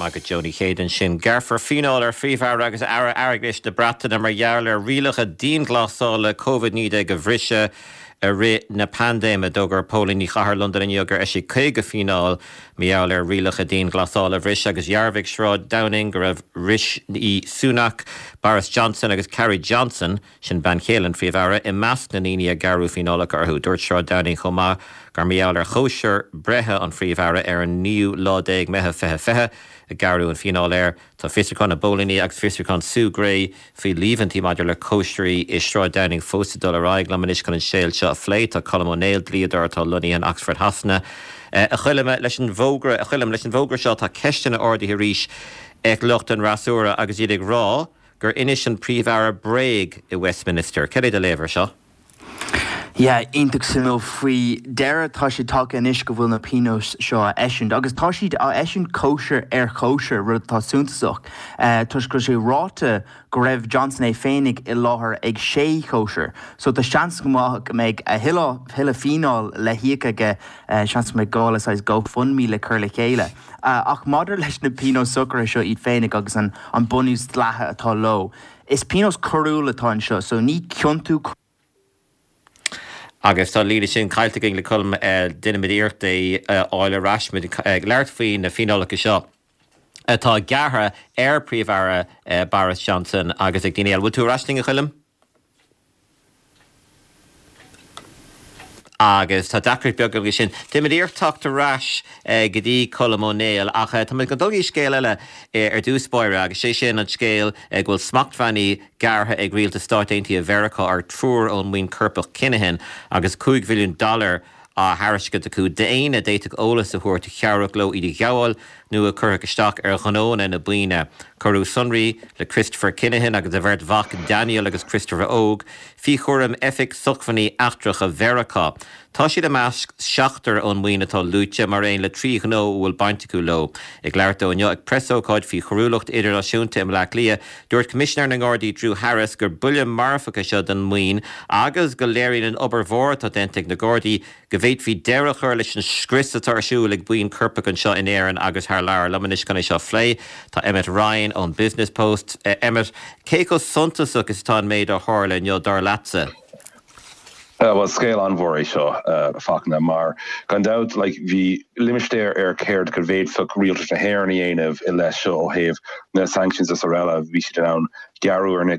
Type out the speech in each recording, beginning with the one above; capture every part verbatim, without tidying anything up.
Maith agat Joe Ní Chéide ansin. Gearrfar fíneáil ar Phríomh-Aire agus Aire Airgeadais na Breataine mar gheall ar rialacha dianghlasála Covid naoi déag a bhriseadh i rith na paindéime. D'fhógair póilíní Chathair Londain inniu gur eisíodh caoga fíneáil mar gheall ar rialacha dianghlasála a bhriseadh agus dhearbhaigh Sráid Downing go raibh Rishi Sunak, Boris Johnson agus Carrie Johnson, sin bean chéile an Phríomh-Aire, i measc na ndaoine a gearradh fíneálacha orthu. Dúirt Sráid Downing chomh maith gur mar gheall ar chóisir breithe an Phríomh-Aire ar an naoú lá déag Meitheamh fiche fiche a gearradh an fíneáil air. Tá fiosrúchán na bpóilíní agus fiosrúchán Sue Gray faoi líomhaintí maidir le cóisirí i Sráid Downing fós ag dul ar aghaidh. Liom anois chun an scéal seo a phlé tá Colm Ó Néill, dlíodóir atá lonnaithe in Oxford Shasana. A Choilm, leis an bhfógra, a Choilm, leis an bhfógra seo tá ceisteanna ardaithe arís ag lucht an fhreasúra agus iad ag rá gur inis an Príomh-Aire bréag i Westminster. Cad é do léamh air seo? Yeah, iontach suimiúil. Faoi dheireadh tá sé tagtha anois go bhfuil na pionóis seo á eisiúint agus tá siad á eisiúint cóisir ar chóisir, rud atá suntasach toisc go raibh sé ráite go raibh Johnson é féinig i láthair ag sé chóisir. So tá seans go maith go mbeidh a thuilleadh thuilleadh fíneáil le híoc aige, seans go mbeidh gá le saghas GoFundMe le cur le chéile. Ach maidir leis na pionóis socraithe seo iad féinig agus an an bunús dleathach atá leo, is pionós coiriúil atá anseo, so ní ciontú Agus tá líne sin caillte againn le Colm, déanfaimid iarracht é a fháil ar ais. Muid ag labhairt faoi na fíneálacha seo atá gearrtha ar Phríomh-Aire Boris Johnson agus ag daoine eile. Bhfuil tú ar ais linn, a Choilm? Agus tá deacracht beag againn sin. Déanfaimid iarracht teacht ar ais go dtí Colm Ó Néill ach tá muid ag dul go dtí scéal eile ar dtús báire agus sé sin an scéal go bhfuil smachtbhannaí gearrtha ag rialtas Stáit Aontaithe Mheiriceá ar triúr ón mbuíon coirpeach Kinahan agus cúig mhilliún dollar á thairiscint acu d'éinne a d'fhéadfadh eolas a thabhairt a chabhródh leo iad a ghabháil nó a chuirfeadh isteach ar ghnónna na buíne. Cuireadh sonraí le Christopher Kinahan agus a bheirt mhac Daniel agus Christopher Óg faoi chúram Oifig Sócmhainní Eachtracha Mheiriceá. Tá siad i measc seachtar ón mbuíon atá luaite, mar aon le trí ghnó a bhfuil baint acu leo. Ag labhairt dó inniu ag preasócáid faoi choiriúlacht idirnáisiúnta i mBleá Cliath, dúirt Coimisinéir na nGardaí Drew Harris gur buille marfach é seo don mbuíon agus go léiríonn an obair mhór atá déanta ag na Gardaí go bhféadfaí deireadh a chur leis an scrios atá ar siúl ag buíon coirpeach anseo in Éirinn agus thar lear. Liom anois chun é seo a phlé tá Emmet Ryan ón Business Post. Emmet, cé chomh suntasach is atá an méid a tharla inniu, dar leatsa? Bhuel, scéal an-mhór é seo, a Fachtna, mar gan dabht, like, bhí limistéar ar céard go bhféadfadh rialtas na hÉireann a dhéanamh i leith seo ó thaobh na sanctions is araile, bhí siad in ann gearradh ar na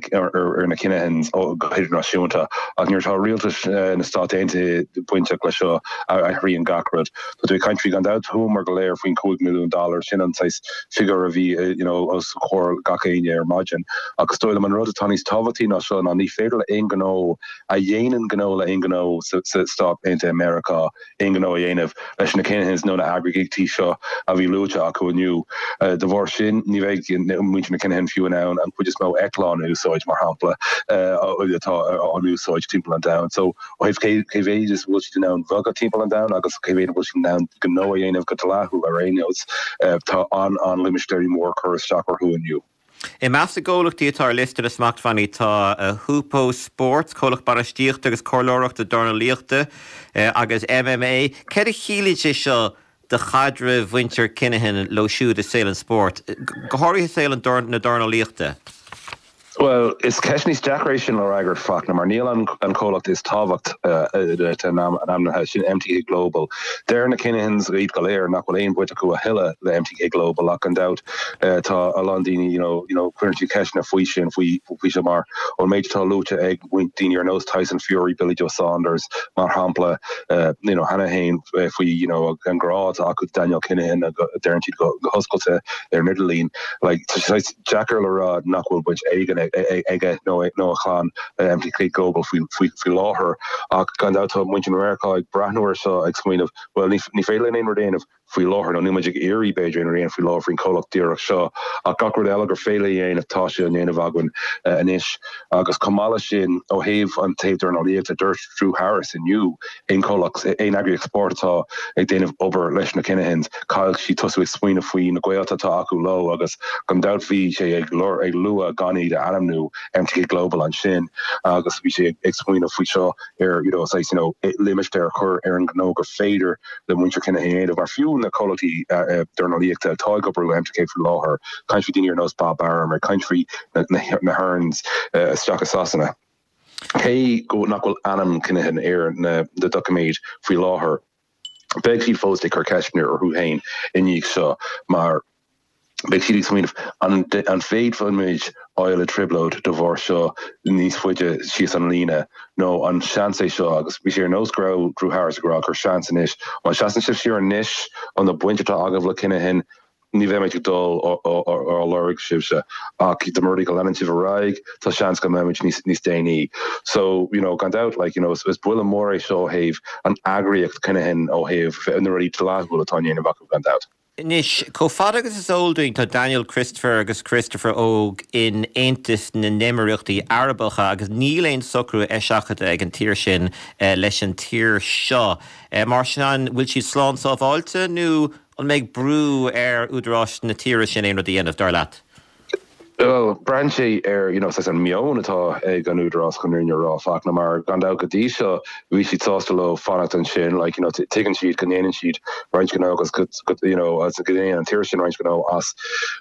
ar na Kinahans go hidirnáisiúnta ach nuair atá rialtas na Stát Aontaithe bainteach leis seo athraíonn gach rud. Tá tú ag caint faoi gan dabht chuamar go léir faoin cúig milliún dollar, sin an saghas figiúr a bhí you know os comhair gach éinne ar maidin. Ach is dóigh liom an rud atá níos tábhachtaí ná seo ná ní féidir le aon ghnó a dhéanann gnó le aon ghnó sa Stát Aontaithe Meiriceá aon ghnó a dhéanamh leis na Kinahans nó na heagraíochtaí seo a bhí luaite acu inniu. De bharr sin, ní bheidh muintir na Kinahan fiú in ann an chuid is mó eitleán a úsáid, mar shampla, atá á n-úsáid timpeall an domhain. So, ó thaobh cé cé mhéid is a bhfuil siad in ann bogadh timpeall an domhain agus cé mhéad a bhfuil siad in ann gnó a dhéanamh go dleathúil ar aon nós, tá an-an-limistéirí mór curtha isteach orthu inniu. I measc na gcomhlachtaí atá ar liosta na smachtbhannaí tá Hupo Sports, comhlacht bainistíochta agus comhairleoireachta dornálaíochta, agus MMA. Céard a chiallaíonn sé seo do chaidreamh mhuintir Kinahan leo siúd i saol an spóirt, go háirithe saol na dornálaíochta? Bhuel, is ceist níos deacra é sin le fhreagairt, Fachtna, mar níl an comhlacht is tábhacht ainmnithe, sin MTK Global. Deir na Kinahans, iad go léir, nach bhfuil aon bhaint acu a thuilleadh le MTK Global ach gan dabht tá a lán daoine, you know, you know, cuireann siad ceisteanna faoi sin, faoi, faoi seo mar ón méid atá luaite ag daoine ar nós Tyson Fury, Billy Joe Saunders, mar shampla, you know, cheana féin faoi, you know, an grá atá acu do Daniel Kinahan, deireann siad go hoscailte ar an idirlíon. Like, tá sé deacair le rá nach bhfuil baint éigin aige nó nó a chlann le MTK Global faoi faoi faoi láthair ach gan dabht tá muintir Mheiriceá ag breathnú air seo ag smaoineamh, bhuel ní ní féidir linn aon rud a dhéanamh faoi láthair nó níl muid ag iarraidh b'fhéidir aon rud a dhéanamh faoi láthair faoin chomhlacht díreach seo ach gach rud eile gur féidir a dhéanamh tá sé á ndéanamh againn anois. Agus chomh maith leis sin ó thaobh an taobh dornálaíochta dúirt Drew Harris inniu aon chomhlacht aon eagraíocht spóirt atá ag déanamh obair leis na Kinahans caithfidh siad tosú ag smaoineamh faoi na gaolta atá acu leo agus gan dabht bhí sé ag ag lua gan iad a ainmniú ainmniú M T K Global ansin agus bhí sé ag smaoineamh faoi seo ar you know, saghas, you know, limistéar chur ar an gnó gur féidir le muintir Kinahan mar fiú na comhlachtaí dornálaíochta atá ag obair M T K faoi láthair, caint faoi daoine ar nós Bob Arum ar caint faoi na, na, na Hearns uh, isteach i Sasana. Cé go nach bhfuil ainm Kinahan ar na, na doiciméid faoi láthair, beidh siad fós ag cur ceisteanna orthu féin i ndiaidh seo mar beidh siad ag smaoineamh an an bhféadfaimid dul i dtrioblóid de bharr seo níos faide síos an líne nó an seans é seo agus bhí sé ar nós go raibh Drew Harris ag rá gur seans anois má seasann sibh siar anois an na baint atá agaibh le Kinahan ní bheimid ag dul á lorg sibhse ach de mura go leanann sibh ar aghaidh tá seans go mbeimid níos níos déanaí. So you know, gan dabht like, you know, is, is buille mór é seo thaobh an eagraíocht Kinahan ó thaobh na rudaí dleathúil atá déanamh acu gan dabht. Anois, chomh fada agus is eol dúinn tá Daniel Christopher agus Christopher Óg in Aontas na nÉimíríochtaí Arabacha agus níl aon socrú eiseachadta ag an tír sin eh, leis an tír seo. Eh, mar sin an bhfuil siad slán sábháilte nó an mbeidh brú ar údaráis na tíre sin aon rud a dhéanamh dar leat? Well, braitheann sé ar you know, an meon atá ag an údarás chun an rá Fachtna mar gan dabht go dtí seo bhí siad sásta leo fanacht ansin like, you know, tuigeann siad go ndéanann siad roinnt gnó agus you know, as go ndéanann an tír sin roinnt gnó as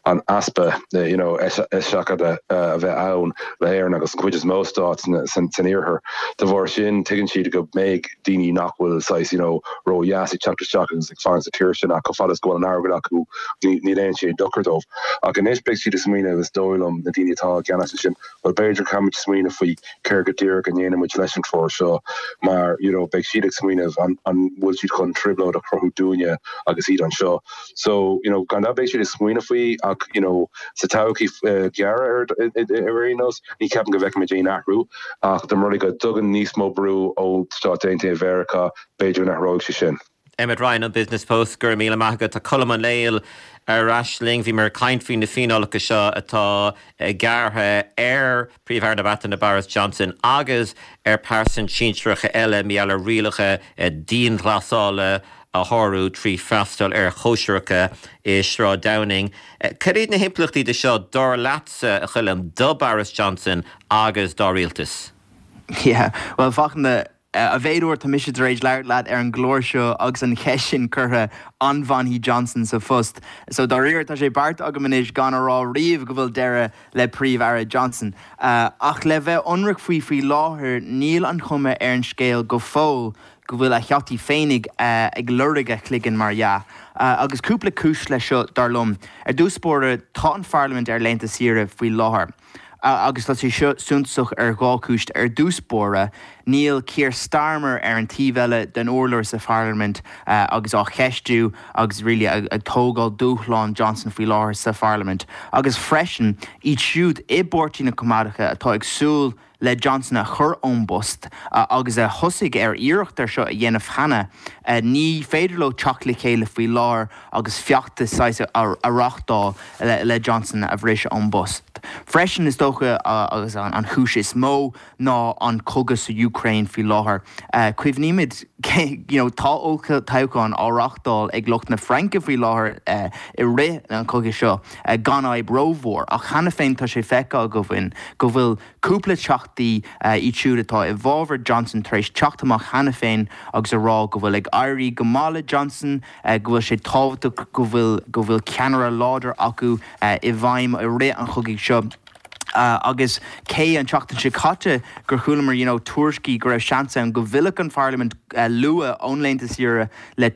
an easpa you know, eiseachadta uh, a bheith ann le hÉirinn agus an chuid is mó stát san iarthar. De bharr sin tuigeann siad go mbeidh daoine nach bhfuil saghas you know, ró-dheas ag teacht isteach agus ag fanacht sa tír sin ach go fad is go bhfuil an airgead acu ní aon sé dochar dóibh. Ach anois beidh siad ag smaoineamh is dóigh liom na daoine atá i gceannas sin well b'fhéidir caithfimid smaoineamh faoi céard go díreach a ndéanfaimid leis an triúr seo mar you know, beidh siad ag smaoineamh an, an bhfuil siad chun trioblóid a chruthú dúinne agus iad anseo. So you know, gan beidh siad ag smaoineamh faoi ach you know, sa todhchaí uh, ghearr ar ar aon nós ní ceapaim go bhfeicfimid aon athrú ach de mar go dtugann níos mó brú ó Stáit Aontaithe Mheiriceá b'fhéidir nach raibh sé sin. Emmet Ryan an Business Post gur míle maith agat. Tá Colm Ó Néill ar ais linn bhí muid ag caint faoi na fíneálacha seo atá gearrtha ar Phríomh-Aire na Breataine Boris Johnson agus ar pearsanra sinsearacha eile maidir le rialacha dianghlasála a shárú trí freastal ar chóisireacha i Sráid Downing. Cad iad na himpleachtaí de seo dar leatsa a Choilm do Boris Johnson agus dá rialtas? Yeah, well Fachtna a mhéad uair tá mise tar éis labhairt leat ar an gclár seo agus an cheist sin curtha an bhfanfaidh Johnson sa phost. So dáiríre tá sé beartaithe agam anois gan a rá riamh go bhfuil deireadh le Príomh-Aire Johnson. Uh, ach le bheith ionraic faoi faoi láthair níl an chuma ar an scéal go fóill go bhfuil a theachtaí féinig uh, ag lorg a chloigeann mar dhea. Uh, agus cúpla cúis le seo dar liom. Ar dtús báire tá an Pharlaimint ar laethanta saoire faoi láthair. Agus tá sé seo suntasach ar dhá chúis ar dtús báire, níl Keir Starmer ar an taobh eile den urlár sa Pharlaimint uh, agus á cheistiú agus really ag, ag tógáil dúshlán Johnson faoi láthair sa Pharlaimint. Agus freisin iad siúd i bpáirtí na Coimeádacha atá ag súil le Johnson a chur ón bpost uh, agus a thosaigh ar iarracht ar seo a dhéanamh cheana uh, ní féidir leo teacht le chéile faoi láthair agus feachtas a, a reáchtáil le, le Johnson a bhriseadh ón bpost. Freisin is dócha uh, agus an, an chúis is mó ná an cogadh sa Ukraine faoi láthair. Uh, Cuimhnímid you know, tá toghchán á reáchtáil ag lucht na Fraince faoi láthair uh, i rith an chogaidh seo uh, gan fhadhb rómhór ach cheana féin tá sé feicthe againn go bhfuil cúpla teachtaí uh, iad siúd atá i bhfabhar Johnson tar éis teacht amach cheana féin agus a rá go bhfuil ag éirí go maith le Johnson uh, go bhfuil sé tábhachtach go bhfuil go bhfuil ceannaire láidir acu uh, i bhfeidhm i rith an chogaidh seo. Uh, agus cé an tseachtain seo caite gur chualamar you know, tuairiscí go raibh seans ann go bhfillfeadh an Pharlaimint uh, luath ón laethanta saoire le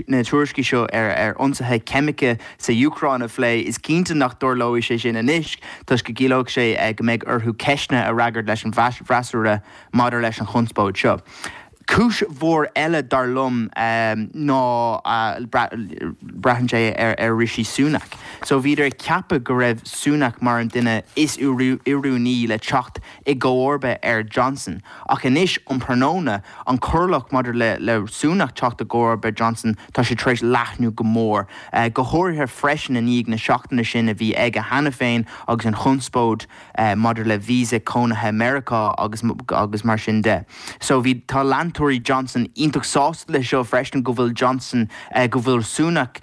na tuairiscí seo ar ar ionsaithe ceimice sa Úcráin a phlé is cinnte nach dtarlóidh sé sin anois toisc go gciallódh sé uh, go mbeidh orthu ceisteanna a fhreagairt leis an bhfreasúra maidir leis an chonspóid seo. Cúis mhór eile dar liom um, ná uh, braitheann sé ar, ar Rishi Sunak. So bhíodar ag ceapadh go raibh Sunak mar an duine is oiriúnaí le teacht i gcomharba ar Johnson. Ach anois um tráthnóna an corrlach maidir le, le Sunak teacht i gcomharba Johnson tá sé tar éis leathnú go mór. Uh, go háirithe freisin i ndiaidh na seachtaine sin a bhí aige cheana féin agus an chonspóid uh, maidir le visa cónaithe Meiriceá agus, agus mar sin de. So bhí tá leantóirí leantóirí Johnson iontach sásta leis seo freisin go bhfuil Johnson go bhfuil Sunak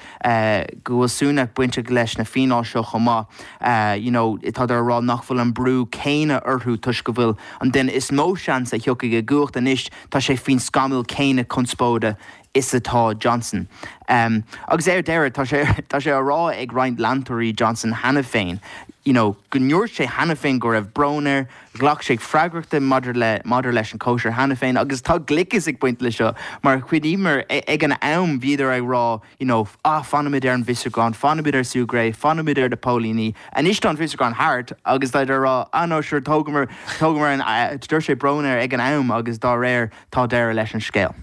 go bhfuil Sunak bainteach leis na fíneáil seo chomh maith. You know, tá á rá nach bhfuil an brú céanna orthu toisc go bhfuil an duine is mó seans a thiocfaidh i gcumhacht anois tá sé faoin scamall céanna conspóide is atá Johnson. Um, agus ar deireadh tá sé tá sé á rá ag roinnt leantóirí Johnson cheana féin. You know, go ndúirt sé cheana féin go raibh brón air, ghlac sé freagrachta maidir le maidir leis an cóisir cheana féin, agus tá gliceas ag baint leis seo mar chuimhnímid ag an am bhíodar ag rá you know, ah, fanfaimid ar an bhfiosrúchán, fanfaimid ar Sue Gray, fanfaimid ar na póilíní. Anois tá an fiosrúchán thart agus tá rá ah no sure tógamar tógamar an uh, dúirt sé brón air ag an am agus dá réir tá deireadh leis an scéal.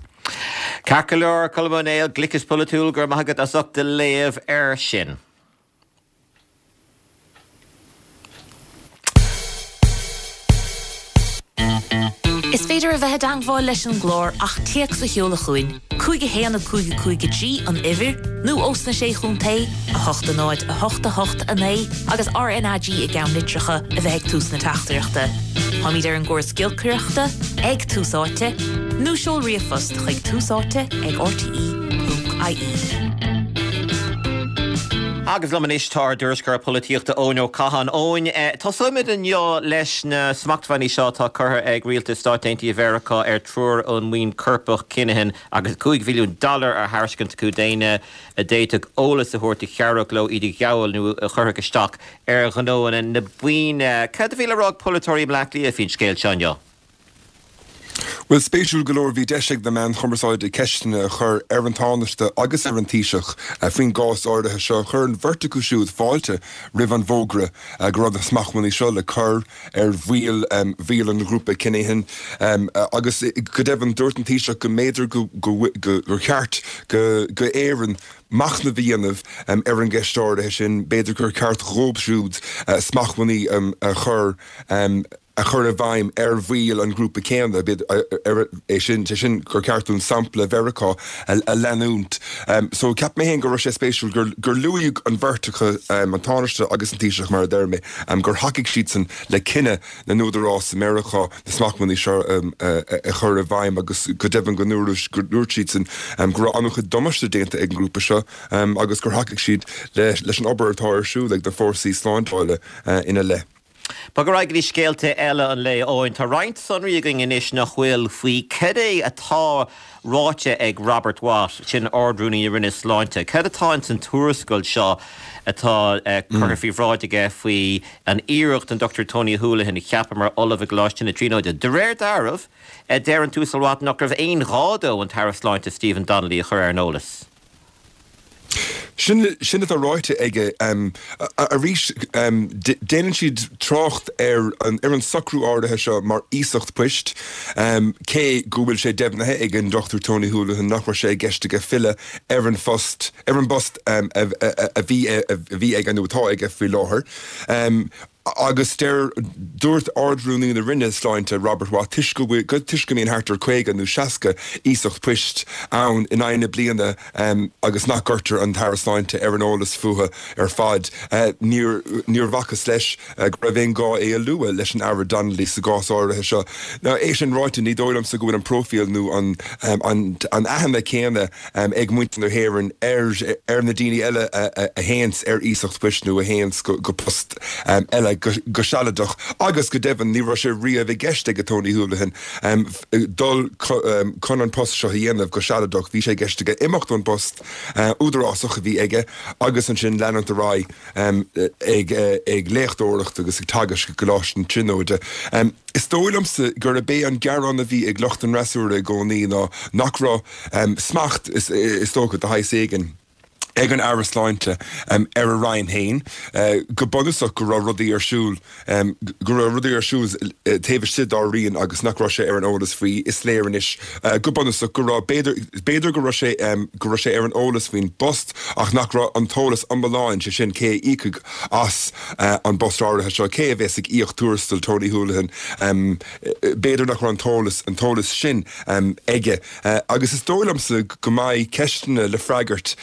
Ceart go leor Colm Ó Néill gliceas polaitiúil go raibh maith agat as ucht do léamh air sin. Is féidir a bheith i dteagmháil leis an gclár ach téacs a sheoladh chugainn, cúig a haon a cúig a cúig a trí an uimhir, nó ós na Sé Chontae, a hocht a náid a hocht a hocht a naoi agus RnaG i gceannlitreacha a bheith ag tús na teachtaireachta. Táimid ar an gcóras giolcaireachta, ag Tús Áite, nó seol ríomhphost chuig túsáite ag rte ponc ie. Agus liom anois tá ár dtuairisceoir polaitíochta Eoin Ó Catháin. Eoin, tosóimid inniu leis na smachtbhannaí seo atá curtha ag rialtas Stáit Aontaithe Mheiriceá ar triúr ón mbuíon coirpeach Kinahan agus cúig mhilliún dollar á thairiscint acu d'éinne a d'fhéadfadh eolas a thabhairt a chabhródh leo iad a ghabháil nó a chuirfeadh isteach ar ghnóanna na buíne. Cad a bhí le rá ag polaiteoirí i mBleá Cliath faoin scéal seo inniu? Bhuel, spéisiúil go leor, bhí deis ag na meáin chumarsáide ceisteanna a chur ar an Tánaiste agus ar an Taoiseach faoin gcás áirithe seo. Chuir an bheirt acu siúd fáilte roimh an bhfógra go raibh na smachtbhannaí seo le cur ar bhaill bhaill an ghrúpa Kinahan agus go deimhin dúirt an Taoiseach go mb'fhéidir gur cheart go Éirinn machnamh a dhéanamh ar an gceist áirithe sin, b'fhéidir gur ceart dhóibh siúd smachtbhannaí a chur a chur i bhfeidhm ar bhaill an ghrúpa céanna, é sin, sé sin gur ceart dúinn sampla Mheiriceá a leanúint. So cheap mé féin go raibh sé spéisiúil gur gur luaigh an bheirt acu, an Tánaiste agus an Taoiseach mar a deir mé, gur thacaigh siadsan le cinneadh na n-údarás i Meiriceá na smachtbhannaí seo a chur i bhfeidhm agus go deimhin go ndúirt siadsan go raibh an-chuid damáiste déanta ag an ngrúpa seo agus gur thacaigh siad leis an obair atá ar siúl ag na fórsaí slándála ina leith. Bog ar aghaidh go dtí scéalta eile an lae, Eoin. Tá roinnt sonraí againn anois nach bhfuil faoi cad é atá ráite ag Robert Watt, sin Ard-Rúnaí na Roinne Sláinte. Cad atá ins an tuarascáil seo atá curtha faoi bhráid aige faoi an iarracht an Dochtúir Tony Holohan a cheapadh mar Ollamh i gColáiste na Tríonóide? De réir dealraimh, deir an tUasal Watt nach raibh aon ghá dó an tAire Sláinte Stephen Donnelly a chur ar an eolas. Sin sin atá ráite aige. Arís, déanann siad trácht ar an ar an socrú áirithe seo mar iasacht poist, cé go bhfuil sé deimhnithe ag an Dochtúir Tony Holohan nach raibh sé i gceist aige filleadh ar an phost ar an bpost a bhí a bhí aige nó atá aige faoi láthair. Agus deir, dúirt Ard-Rúnaí na Roinne Sláinte, Robert Watt, toisc go bhfuil, toisc go mbíonn thart ar caoga nó seasca iasacht poist ann in aghaidh na bliana agus nach gcuirtear an tAire Sláinte ar an eolas fúthu ar fad, níor, níor bhfacthas leis go raibh aon ghá é a lua leis an Aire Donnelly sa gcás áirithe seo. Now, é sin ráite, ní dóigh liomsa go bhfuil an próifíl nó an, an, an aithne céanna ag muintir na hÉireann ar, ar na daoine eile a, a, a théanns ar iasacht poist nó a théanns go, go post eile. go sealadach agus go deimhin ní raibh sé riamh i gceist ag Tony Holohan dul chun an post seo a dhéanamh go sealadach. Bhí sé i gceist aige imeacht ón bpost údarásach a bhí aige agus ansin leanúint ar aghaidh ag léachtóireacht agus ag teagasc i gColáiste na Tríonóide. Is dóigh liomsa gurb é an gearán a bhí ag lucht an fhreasúra i gcónaí ná nach raibh smacht, is dócha, de shaghas éigin, ag an Aire Sláinte ar a roinn féin, go bunúsach go raibh rudaí ar siúl, go raibh rudaí ar siúl taobh istigh dá roinn agus nach raibh sé ar an eolas faoi. Is léir anois go bunúsach go raibh, b'fhéidir, b'fhéidir go raibh sé, go raibh sé ar an eolas faoin bpost ach nach raibh an t-eolas iomlán, sé sin cé a íocfaidh as an bpost áirithe seo, cé a bheas ag íoc tuarastal Tony Holohan, b'fhéidir nach raibh an t-eolas, an t-eolas sin aige. Agus is dóigh liomsa go mbeidh ceisteanna le freagairt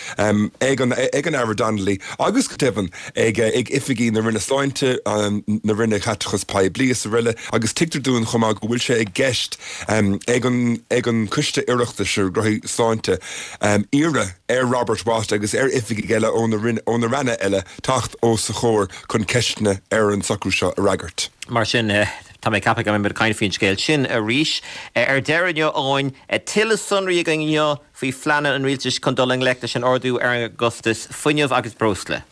ag an ag an Aire Donnelly agus go deimhin ag ag oifigigh na Roinne Sláinte na Roinne Caiteachais Poiblí is araile agus tuigtear dúinn chomh maith go bhfuil sé i gceist ag an ag an Coiste Oireachtais ar Ghnóthaí Sláinte iarraidh ar Robert Watt agus ar oifigigh eile ó na ó na ranna eile teacht os a chomhair chun ceisteanna ar an socrú seo a fhreagairt. Mar sin tá mé ag ceapadh go mbeimid ag caint faoin scéal sin arís. Ar deireadh inniu, Eoin, tuilleadh sonraí againn inniu faoi phleananna an rialtais chun dul i ngleic leis an ardú ar an gcostas fuinnimh agus breosla.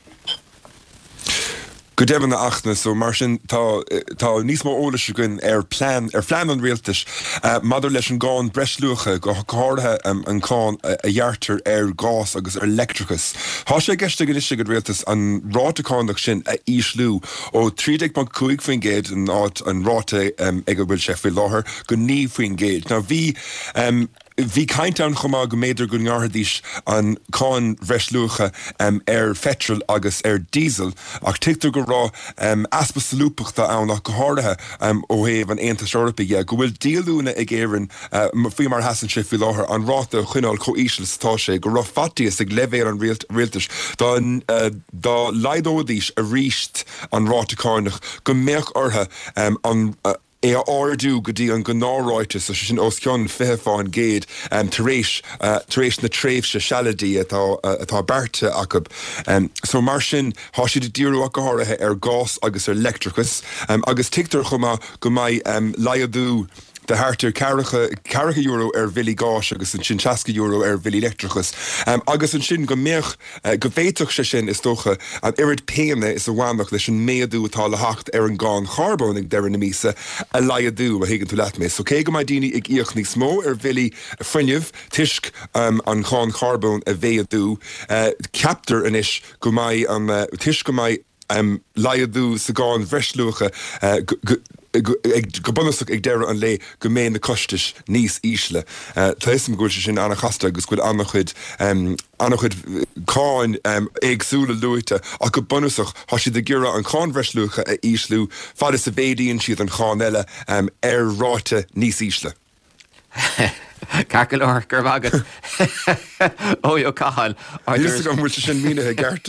Go deimhin a Fhachtna, so mar sin tá tá níos mó eolais againn ar plean ar phlean an rialtais maidir leis an gcáin breisluacha, go háirithe an cáin a ghearrtar ar ghás agus ar leictreachas. Tá sé i gceist ag anois ag an rialtas an ráta cánach sin a ísliú ó trí déag ponc cúig faoin gcéad an áit an ráta ag a bhfuil sé faoi láthair go naoi faoin gcéad. Now bhí Bhí caint ann chomh maith go mb'fhéidir go ngearrfaidís an cáin bhreisluacha ar pheitreal agus ar dhíosal ach tuigtear go raibh easpa solúbthachta ann ach go háirithe ó thaobh an Aontais Eorpaigh dhe, go bhfuil díolúine ag Éirinn faoi mar a sheasann sé faoi láthair an ráta a choinneáil chomh íseal is atá sé, go raibh faitíos ag leibhéal an rialtais dá dá laghdóidís arís an ráta cánach go mbeadh orthu an é a ardú go dtí an gnáthráta, sé sin os cionn fiche fán gcéad tar éis tar éis na tréimhse sealadaí atá atá beartaithe acu. So mar sin, tá siad ag díriú ach go háirithe ar ghás agus ar leictreachas agus tuigtear chomh maith go mbeidh laghdú de thart ar ceathracha euro ar bhillí gáis agus ansin seasca euro ar bhillí leictreachais agus ansin go mbeadh, go bhféadfadh sé sin, is dócha, an oiread péine is a bhainfeadh leis an méadú atá le theacht ar an gcáin charbóin ag deireadh na míosa a laghdú, má thuigeann tú leat mé. So cé go mbeidh daoine ag íoc níos mó ar bhillí fuinnimh toisc an cháin charbóin a mhéadú, ceaptar anois go mbeidh an, toisc go mbeidh laghdú sa gcáin bhreisluacha go bunúsach ag deireadh an lae go mbeidh na costais níos ísle. Tá 'fhios a'm go bhfuil sé sin an-chasta agus go bhfuil an-chuid an-chuid cáin éagsúla luaite ach go bunúsach tá siad ag iarraidh an cháin bhreisluacha a ísliú fad is a mhéadaíonn siad an cháin eile ar ráta níos ísle. Ceart go leor, go raibh maith agat. Eoin Ó Catháin, ár Níl 'fhios agam an bhfuil sé sin mínithe i gceart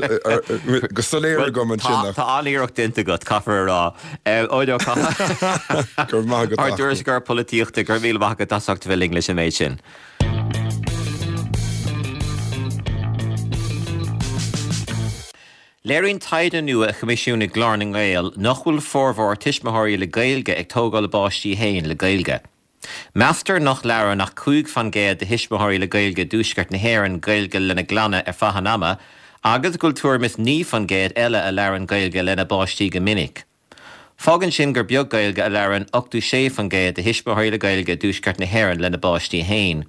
go soiléir agam ansin ach. Tá an-iarracht déanta agat, caithfear a rá. Eoin Ó Catháin, Go raibh maith agat, ár dtuairisceoir polaitíochta, go raibh míle maith agat as ucht a bheith linn leis an méid sin. Léiríonn taighde nua a choimisiúnaigh Glór na nGael nach bhfuil formhór tuismitheoirí le Gaeilge ag tógáil a bpáistí féin le Gaeilge. Meastar nach labhrann ach cúig fan gcéad de thuismitheoirí le Gaeilge i dTuaisceart na hÉireann Gaeilge lena gclanna ar feadh an ama agus go bhfuil tuairim is naoi fan gcéad eile a labhrann Gaeilge lena bpáistí go minic. Fágann sin gur beag Gaeilge a labhrann ochtó sé fan gcéad de thuismitheoirí le Gaeilge i dTuaisceart na hÉireann lena bpáistí féin.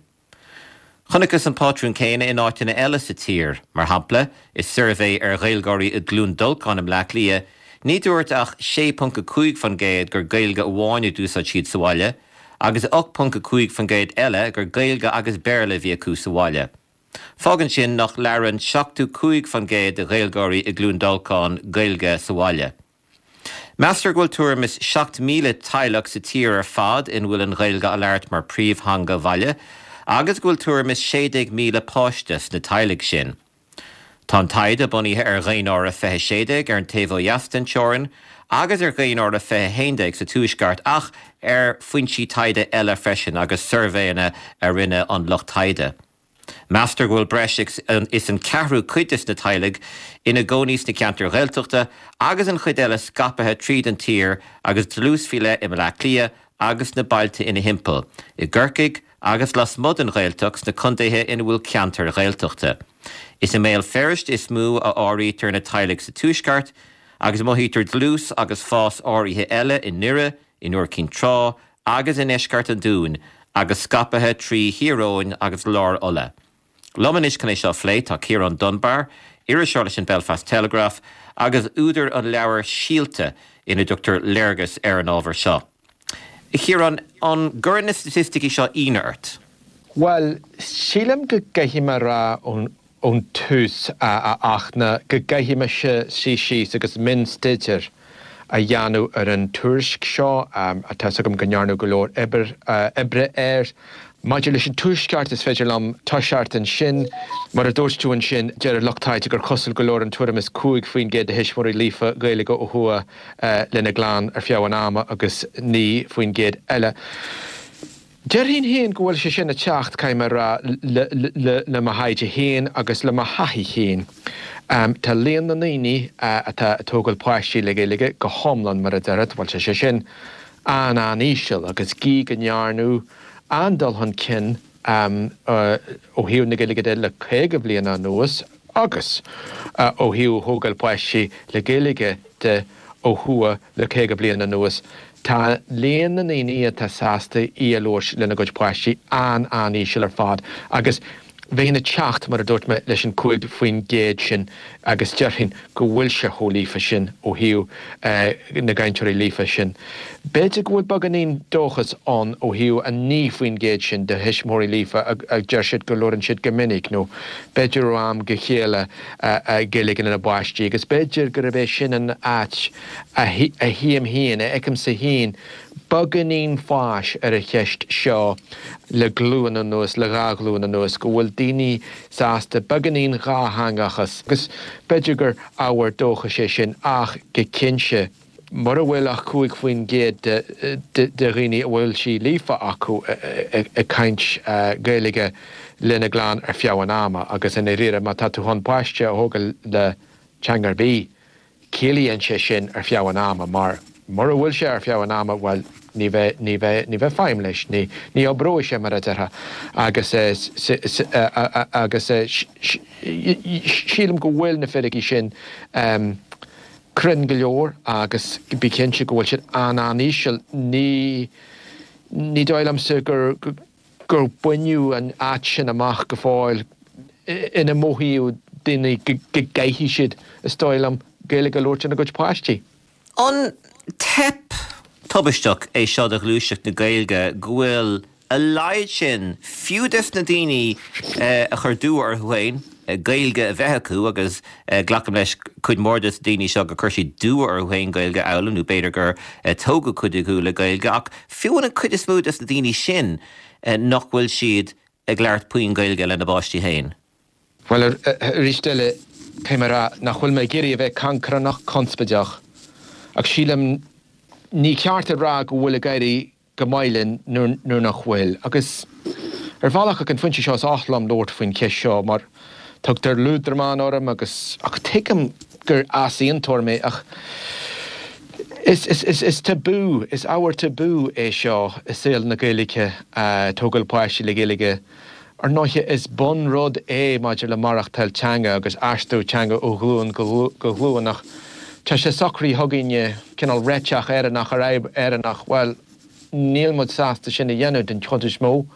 Chonacthas an pátrún céanna in áiteanna eile sa tír. Mar shampla, i suirbhé ar Ghaeilgeoirí i gCluain Dolcáin i mBleá Cliath, ní dúirt ach sé ponc a cúig fan gcéad gur Gaeilge amháin a d'úsáid siad sa bhaile, agus ocht ponc a cúig fan gcéad eile gur Gaeilge agus Béarla a bhí acu sa bhaile. Fágann sin nach labhrann seachtó cúig fan gcéad de Ghaeilgeoirí i gCluain Dolcáin Gaeilge sa bhaile. Meastar go bhfuil tuairim is seacht míle teaghlach sa tír ar fad ina bhfuil an Ghaeilge á labhairt mar phríomhtheanga bhaile agus go bhfuil tuairim is sé déag míle páiste sna teaghlaigh sin. Tá an taighde bunaithe ar Dhaonáireamh fiche sé déag ar an taobh ó dheas den teorainn agus ar Dhaonáireamh fiche haon déag sa Tuaisceart ach ar foinsí taighde eile freisin agus suirbhéanna a rinne an lucht taighde. Meastar go bhfuil breis is an ceathrú cuid des na teaghlaigh ina gcónaí sna ceantair Ghaeltachta agus an chuid eile scaipthe tríd an tír agus dlús faoi leith i mBleá Cliath agus sna bailte ina thimpeall, i gCorcaigh agus lasmuigh den Ghaeltacht sna contaetha ina bhfuil ceantair Ghaeltachta. Is i mBéal Feirste is mó a áirítear na teaghlaigh sa Tuaisceart agus mothaítear dlús agus fás áirithe eile i nDoire, in Iúr Cinn Trá agus i ndeisceart an Dúin agus scaipthe trí Thír Eoghain agus lár Uladh. Liom anois chun é seo a phlé tá Ciarán Dunbar, iriseoir leis an Belfast Telegraph agus údar an leabhair Síolta ina dtugtar léargas ar an ábhar seo. A Chiaráin, an gcuireann na staitisticí seo ionadh ort? Bhuel, sílim go gcaithfidh mé a rá ón ón tús, a Fhachtna, go gcaithfidh mise suí síos agus mionstaidéar a dhéanamh ar an tuairisc seo. Tá 'fhios agam go ndearnadh go leor oibre air Maidir leis an Tuaisceart, is féidir liom toiseacht ansin. Mar a dúirt tú ansin, deir an lucht taighde gur cosúil go labhrann tuairim is cúig faoin gcéad de thuismitheoirí líofa Gaeilge ó thuaidh lena gclann ar feadh an ama agus naoi faoin gcéad eile. Déarfainn féin go bhfuil sé sin ag teacht, caithfidh mé a rá, le mo thaighde féin agus le mo thaithí féin. Tá líon na ndaoine atá ag tógáil páistí le Gaeilge go hiomlán, mar a déarfá, bhuel, tá sé sin an-an-íseal agus gí go ndearnadh an-dul chun cinn ó thaobh na Gaeilge de le caoga bliain anuas agus ó thaobh thógáil páistí le Gaeilge de ó thuaidh le caoga bliain anuas. Tá líon na ndaoine atá sásta í a labhairt lena gcuid páistí an-an-íseal ar fad agus bheinn ag teacht, mar a dúirt mé, leis an cúig faoin gcéad sin agus déarfainn go bhfuil sé chomh líofa sin ó thaobh na gcainteoirí líofa sin. B'fhéidir go bhfuil beagáinín dóchas ann ó thaobh an naoi faoin gcéad sin de thuismitheoirí líofa a deir siad go labhrann siad go minic nó b'fhéidir ó am go chéile Gaeilge lena bpáistí agus b'fhéidir gurb é sin an áit a tchím féin, a fheicimse féin beagáinín fáis ar an cheist seo le glúin anuas, le dhá ghlúin anuas, go bhfuil daoine sásta beagáinín dhátheangachas agus b'fhéidir gur ábhar dóchais é sin ach go cinnte, mura bhfuil ach cúig faoin gcéad de dhaoine a bhfuil sí líofa acu ag caint Gaeilge lena gclann ar feadh an ama agus i ndáiríre má tá tú chun páiste a thógáil le teanga ar bith, ciallaíonn sé sin ar feadh an ama mar mura bhfuil sé ar feadh an ama, bhuel, ní bheidh, ní bheidh, ní bheidh feidhm leis, ní, ní oibreoidh sé mar a déarfá agus agus sílim go bhfuil na fíricí sin cruinn go leor agus bí cinnte go bhfuil siad an-an-íseal. Ní, ní dóigh liomsa gur, gur baineadh an áit sin amach go fóill ina mothaíodh daoine go gcaithfidh siad, is dóigh liom, Gaeilge a labhairt lena gcuid páistí. An teip tubaisteach é seo do ghluaiseacht na Gaeilge go bhfuil a laghad sin, fiú des na daoine a chuir dua orthu féin Gaeilge a bheith acu agus glacaim leis cuid mhór des na daoine seo gur chuir siad dua orthu féin Gaeilge a fhoghlaim nó b'fhéidir gur tógadh cuid acu le Gaeilge ach fiú an cuid is mó des na daoine sin nach bhfuil siad ag labhairt puinn Gaeilge lena bpáistí féin. Bhuel, arís eile, caithfidh mé a rá nach bhfuil mé ag iarraidh a bheith cancránach conspóideach, ach sílim ní ceart a rá go bhfuil ag éirí go maith linn nuair nach bhfuil. Agus ar bhealach ag an phointe seo is oth liom labhairt faoin cheist seo mar tugtar liúdramán orm agus, ach tuigim gur easaontóir mé ach is, is, is, is tabú, is ábhar tabú é seo i saol na Gaeilge, tógáil páistí le Gaeilge. Ar ndóighe, is bunrud é maidir le maireachtáil teanga agus aistriú teanga ó ghlúin go glúin ach tá sé socraithe againne cineál réiteach Éireannach ar fhadhb Éireannach, bhuel, níl muid sásta sin a dhéanamh den chuid is mó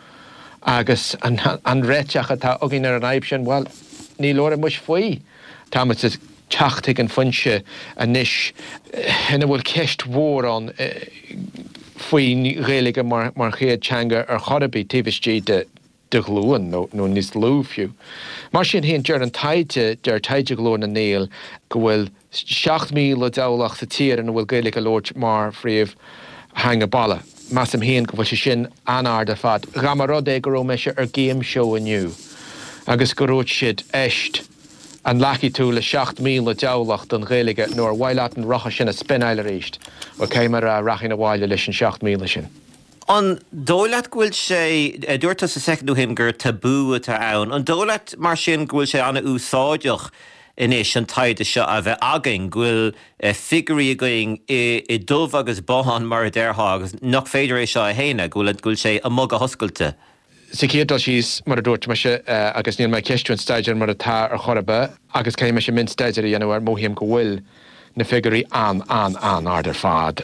agus an réiteach atá againn ar an fhadhb sin, bhuel, ní labhraíonn muid faoi. Tá muid ag teacht chuig an phointe anois ina bhfuil ceist mhór ann faoin Ghaeilge mar chéad teanga ar chor ar bith taobh istigh de de ghlúin, nó níos lú fiú. Mar sin féin, deir an taighde, deir taighde Ghlór na nGael, go bhfuil seacht míle teaghlach sa tír ina bhfuil Gaeilge á labhairt mar phríomhtheanga baile. Measaim féin go bhfuil sé sin an-ard ar fad. Dá mba rud é go raibh mise ar game show inniu agus go raibh siad, éist, an nglacfaidh tú le seacht míle teaghlach don Ghaeilge nó ar mhaith leat an rotha sin a spionáil arís? Bhuel, caithfidh mé a rá, rachainn abhaile leis an seacht míle sin. An dóigh leat go bhfuil sé, dúirt tusa soicind ó shin gur tabú atá ann, an dóigh leat mar sin go bhfuil sé an-úsáideach anois an taighde seo a bheith againn, go bhfuil figiúirí againn i dubh agus bán mar a déarfá agus nach féidir é seo a shéanadh, go bhfuil, go bhfuil sé amuigh go hoscailte? Sa chéad dul síos, mar a dúirt mise, agus níl mé ag ceistiú an staidéar mar atá ar chor ar bith, agus caithfidh mise mionstaidéar a dhéanamh air, mothaím go bhfuil na figiúirí an-an-an-ard ar fad.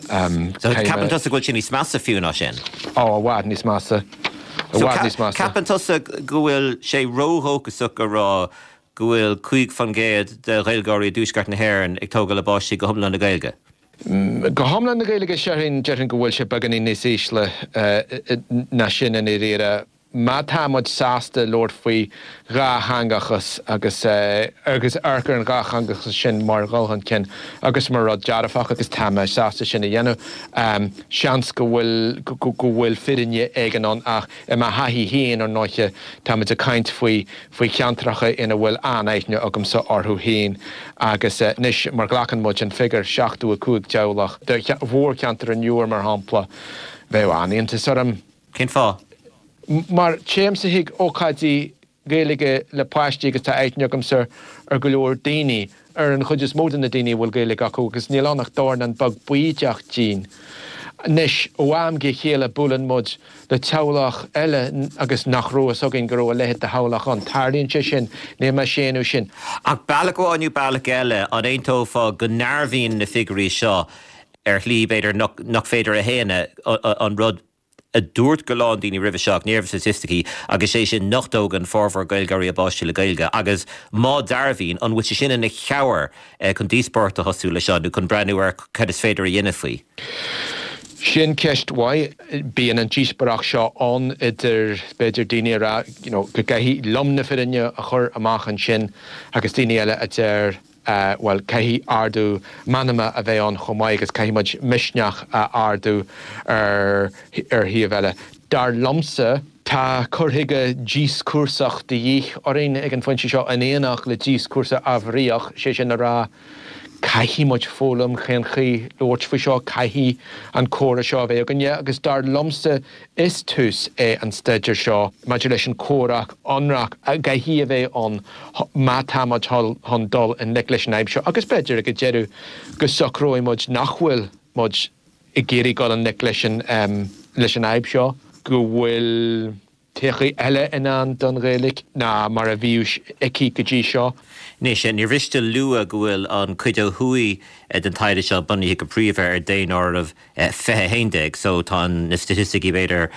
So ceapann tusa go bhfuil sé níos measa fiú ná sin? Ó, i bhfad níos measa. I bhfad níos measa. Ceapann tusa go bhfuil sé ródhóchasach a rá go bhfuil cúig faoin gcéad de Ghaeilgeoirí i dTuaisceart na hÉireann ag tógáil a bpáistí go hiomlán le Gaeilge? Go hiomlán le Gaeilge, déarfainn, déarfainn go bhfuil sé beagáinín níos ísle ná sin i ndáiríre. Má tá muid sásta labhairt faoi dhátheangachas agus agus amharc ar an dhátheangachas sin mar dhul chun cinn agus mar rud dearfach, agus tá mé sásta sin a dhéanamh, seans go bhfuil go bhfuil fírinne éigin ann ach i mo thaithí féin, ar ndóiche, tá muid ag caint faoi faoi cheantracha ina bhfuil an-aithne agamsa orthu féin agus anois má ghlacann muid an figiúr seachtó a cúig teaghlach do mhórcheantar an Iúir mar shampla, bheadh an-iontas orm. Cén fáth? Mar téimse chuig ócáidí Gaeilge le páistí agus tá aithne agamsa ar go leor daoine, ar an chuid is mó de na daoine a bhfuil Gaeilge acu agus níl ann ach dornán beag baoideach dínn. Anois, ó am go chéile buaileann muid le teaghlach eile agus nach raibh fhios againn go raibh a leithéid de theaghlach ann. Tarlaíonn sé sin, níl mé ag séanadh sin. Ach bealach amháin nó bealach eile, an aontófá go ndearbhaíonn na figiúirí seo ar shlí, b'fhéidir, nach féidir a shéanadh, an rud a dúirt go lán daoine roimhe seo ach ní raibh staitisticí agus sé sin nach dtógann formhór Gaeilgeoirí a bpáistí le Gaeilge agus má dearbhaíonn, an bhfuil sé sin ina chabhair chun díospóireacht a thosú leis seo nó chun breathnú ar cad is féidir a dhéanamh faoi? Sin ceist mhaith. Bíonn an díospóireacht seo ann idir, b'fhéidir, daoine a rá you know go gcaithfidh lom na fírinne a chur amach ansin agus daoine eile a deir, bhuel, caithfidh ardú meanma a bheith ann chomh maith agus caithfidh muid misneach a ardú ar ar thaobh eile. Dar liomsa, tá cur chuige díoscúrsach de dhíth orainn ag an phointe seo in éineacht le díoscúrsa ábharaíoch, sé sin a rá, caithfidh muid foghlaim cén chaoi labhairt faoi seo, caithfidh an comhrá seo a bheith againne agus dar liomsa is tús é an staidéar seo maidir leis an chomhrac ionraic a gcaithfidh a bheith ann má tá muid chun dul i ngleic leis an fhadhb seo agus b'fhéidir ag an deireadh go socróidh muid nach bhfuil muid ag iarraidh dul i ngleic leis an leis an fhadhb seo, go bhfuil. todhchaí eile i ndán don Ghaeilge ná mar a bhíodh aici go dtí seo. Anois, níor mhiste lua go bhfuil an cuid ó thuaidh den taighde seo bunaithe go príomha ar daonáireamh fiche a haon déag, so tá na staitisticí b'fhéidir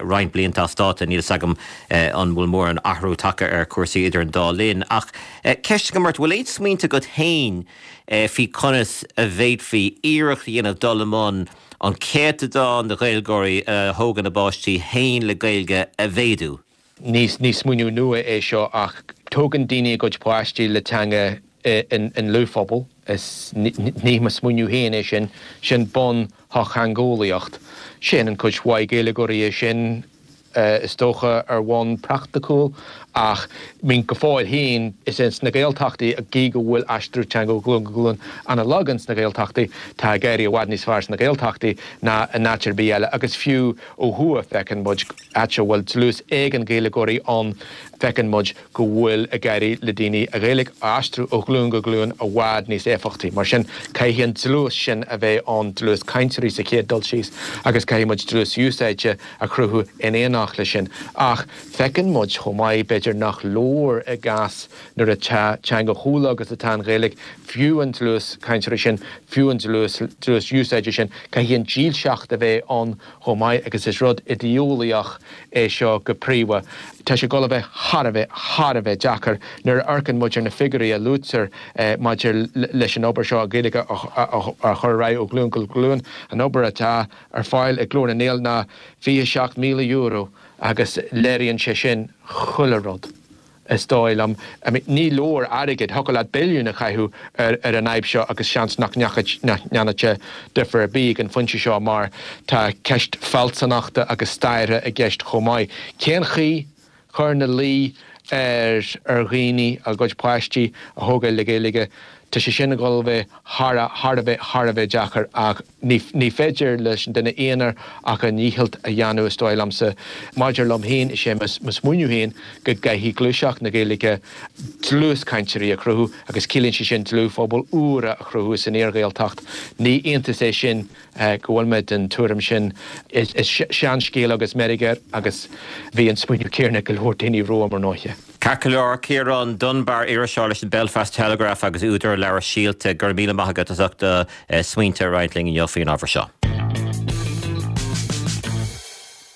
roinnt blianta as dáta, níl 'fhios agam an bhfuil mórán athrú tagtha ar chúrsaí idir an dá linn. Ach ceist agam ort, bhfuil aon smaointe agat féin faoi conas a bhféadfaí iarracht a dhéanamh dul i mbun an céatadán de Ghaeilgeoirí a thógann a bpáistí féin le Gaeilge a mhéadú? Ní smaoineamh nua é seo ach tógann daoine a gcuid páistí le teanga i ndlúthphobal. Is ní mo smaoineamh féin é sin, sin bun-shochtheangeolaíocht. Déanann cuid mhaith Gaeilgeoirí é sin. is dócha, ar bhonn praiticiúil, ach mean go fóill féin, is ins na Gaeltachtaí, gí go bhfuil aistriú teanga ó ghlúin go glúin ana-lag ins na Gaeltachtaí, tá ag éirí i bhfad níos fearr sna Gaeltachtaí ná in áit ar bith eile, agus fiú ó thuaidh, feiceann muid, áit a bhfuil dlús éigin Gaeilgeoirí ann, feiceann muid go bhfuil ag éirí le daoine an Ghaeilge a aistriú ó ghlúin go glúin i bhfad níos éifeachtaí. Mar sin, caithfidh an dlús sin a bheith ann, dlús cainteoirí sa chéad dul síos, agus caithfidh muid dlús úsáide a chruthú in éineacht leis sin. Ach feiceann muid chomh maith, b'fhéidir nach leor i gcás nuair atá teanga chomh lag agus atá an Ghaeilge, fiú an dlús cainteoirí sin, fiú an dlús dlús úsáide sin, caithfidh an dílseacht a bheith ann chomh maith agus is rud idé-eolaíoch é seo go príomha. Tá sé ag dul a bheith thar a bheith, thar a bheith deacair nuair a amharcann muid ar na figiúirí a luaitear maidir leis an obair seo, an Ghaeilge a chur ar aghaidh ó ghlúin go glúin. An obair atá ar fáil ag Glór na nGael ná fiche seacht míle euro agus léiríonn sé sin chuile rud, is dóigh liom. I mean, ní leor airgead, thiocfadh leat billiún a chaitheamh ar ar an fhadhb seo agus seans nach ndéanfadh sé difear ar bith ag an phointe seo mar tá ceist fealsúnachta agus staire i gceist chomh maith. Cén chaoi cur ina luí ar ar dhaoine a gcuid páistí a thógáil le Gaeilge? Tá sé sin ag dul a bheith thar a thar a bheith thar a bheith deacair ach ní ní féidir leis an duine aonair ach a ndícheall a dhéanamh is dóigh liomsa. Maidir liom féin is é mo smaoineamh féin go gcaithfidh gluaiseacht na Gaeilge dlús cainteoirí a chruthú agus ciallaíonn sé sin dlúthphobail úra a chruthú san iar-Ghaeltacht. Ní iontas é sin go bhfuil mé den tuairim sin. Is seanscéal agus meirg air agus bhí an smaoineamh céanna ag go leor daoine romham ar ndóighe. Ceart go leor, Ciarán Dunbar, iriseoir leis an Belfast Telegraph agus údar an leabhair Síolta, go raibh míle maith agat as ucht do smaointe a roinnt linn inniu faoin ábhar seo.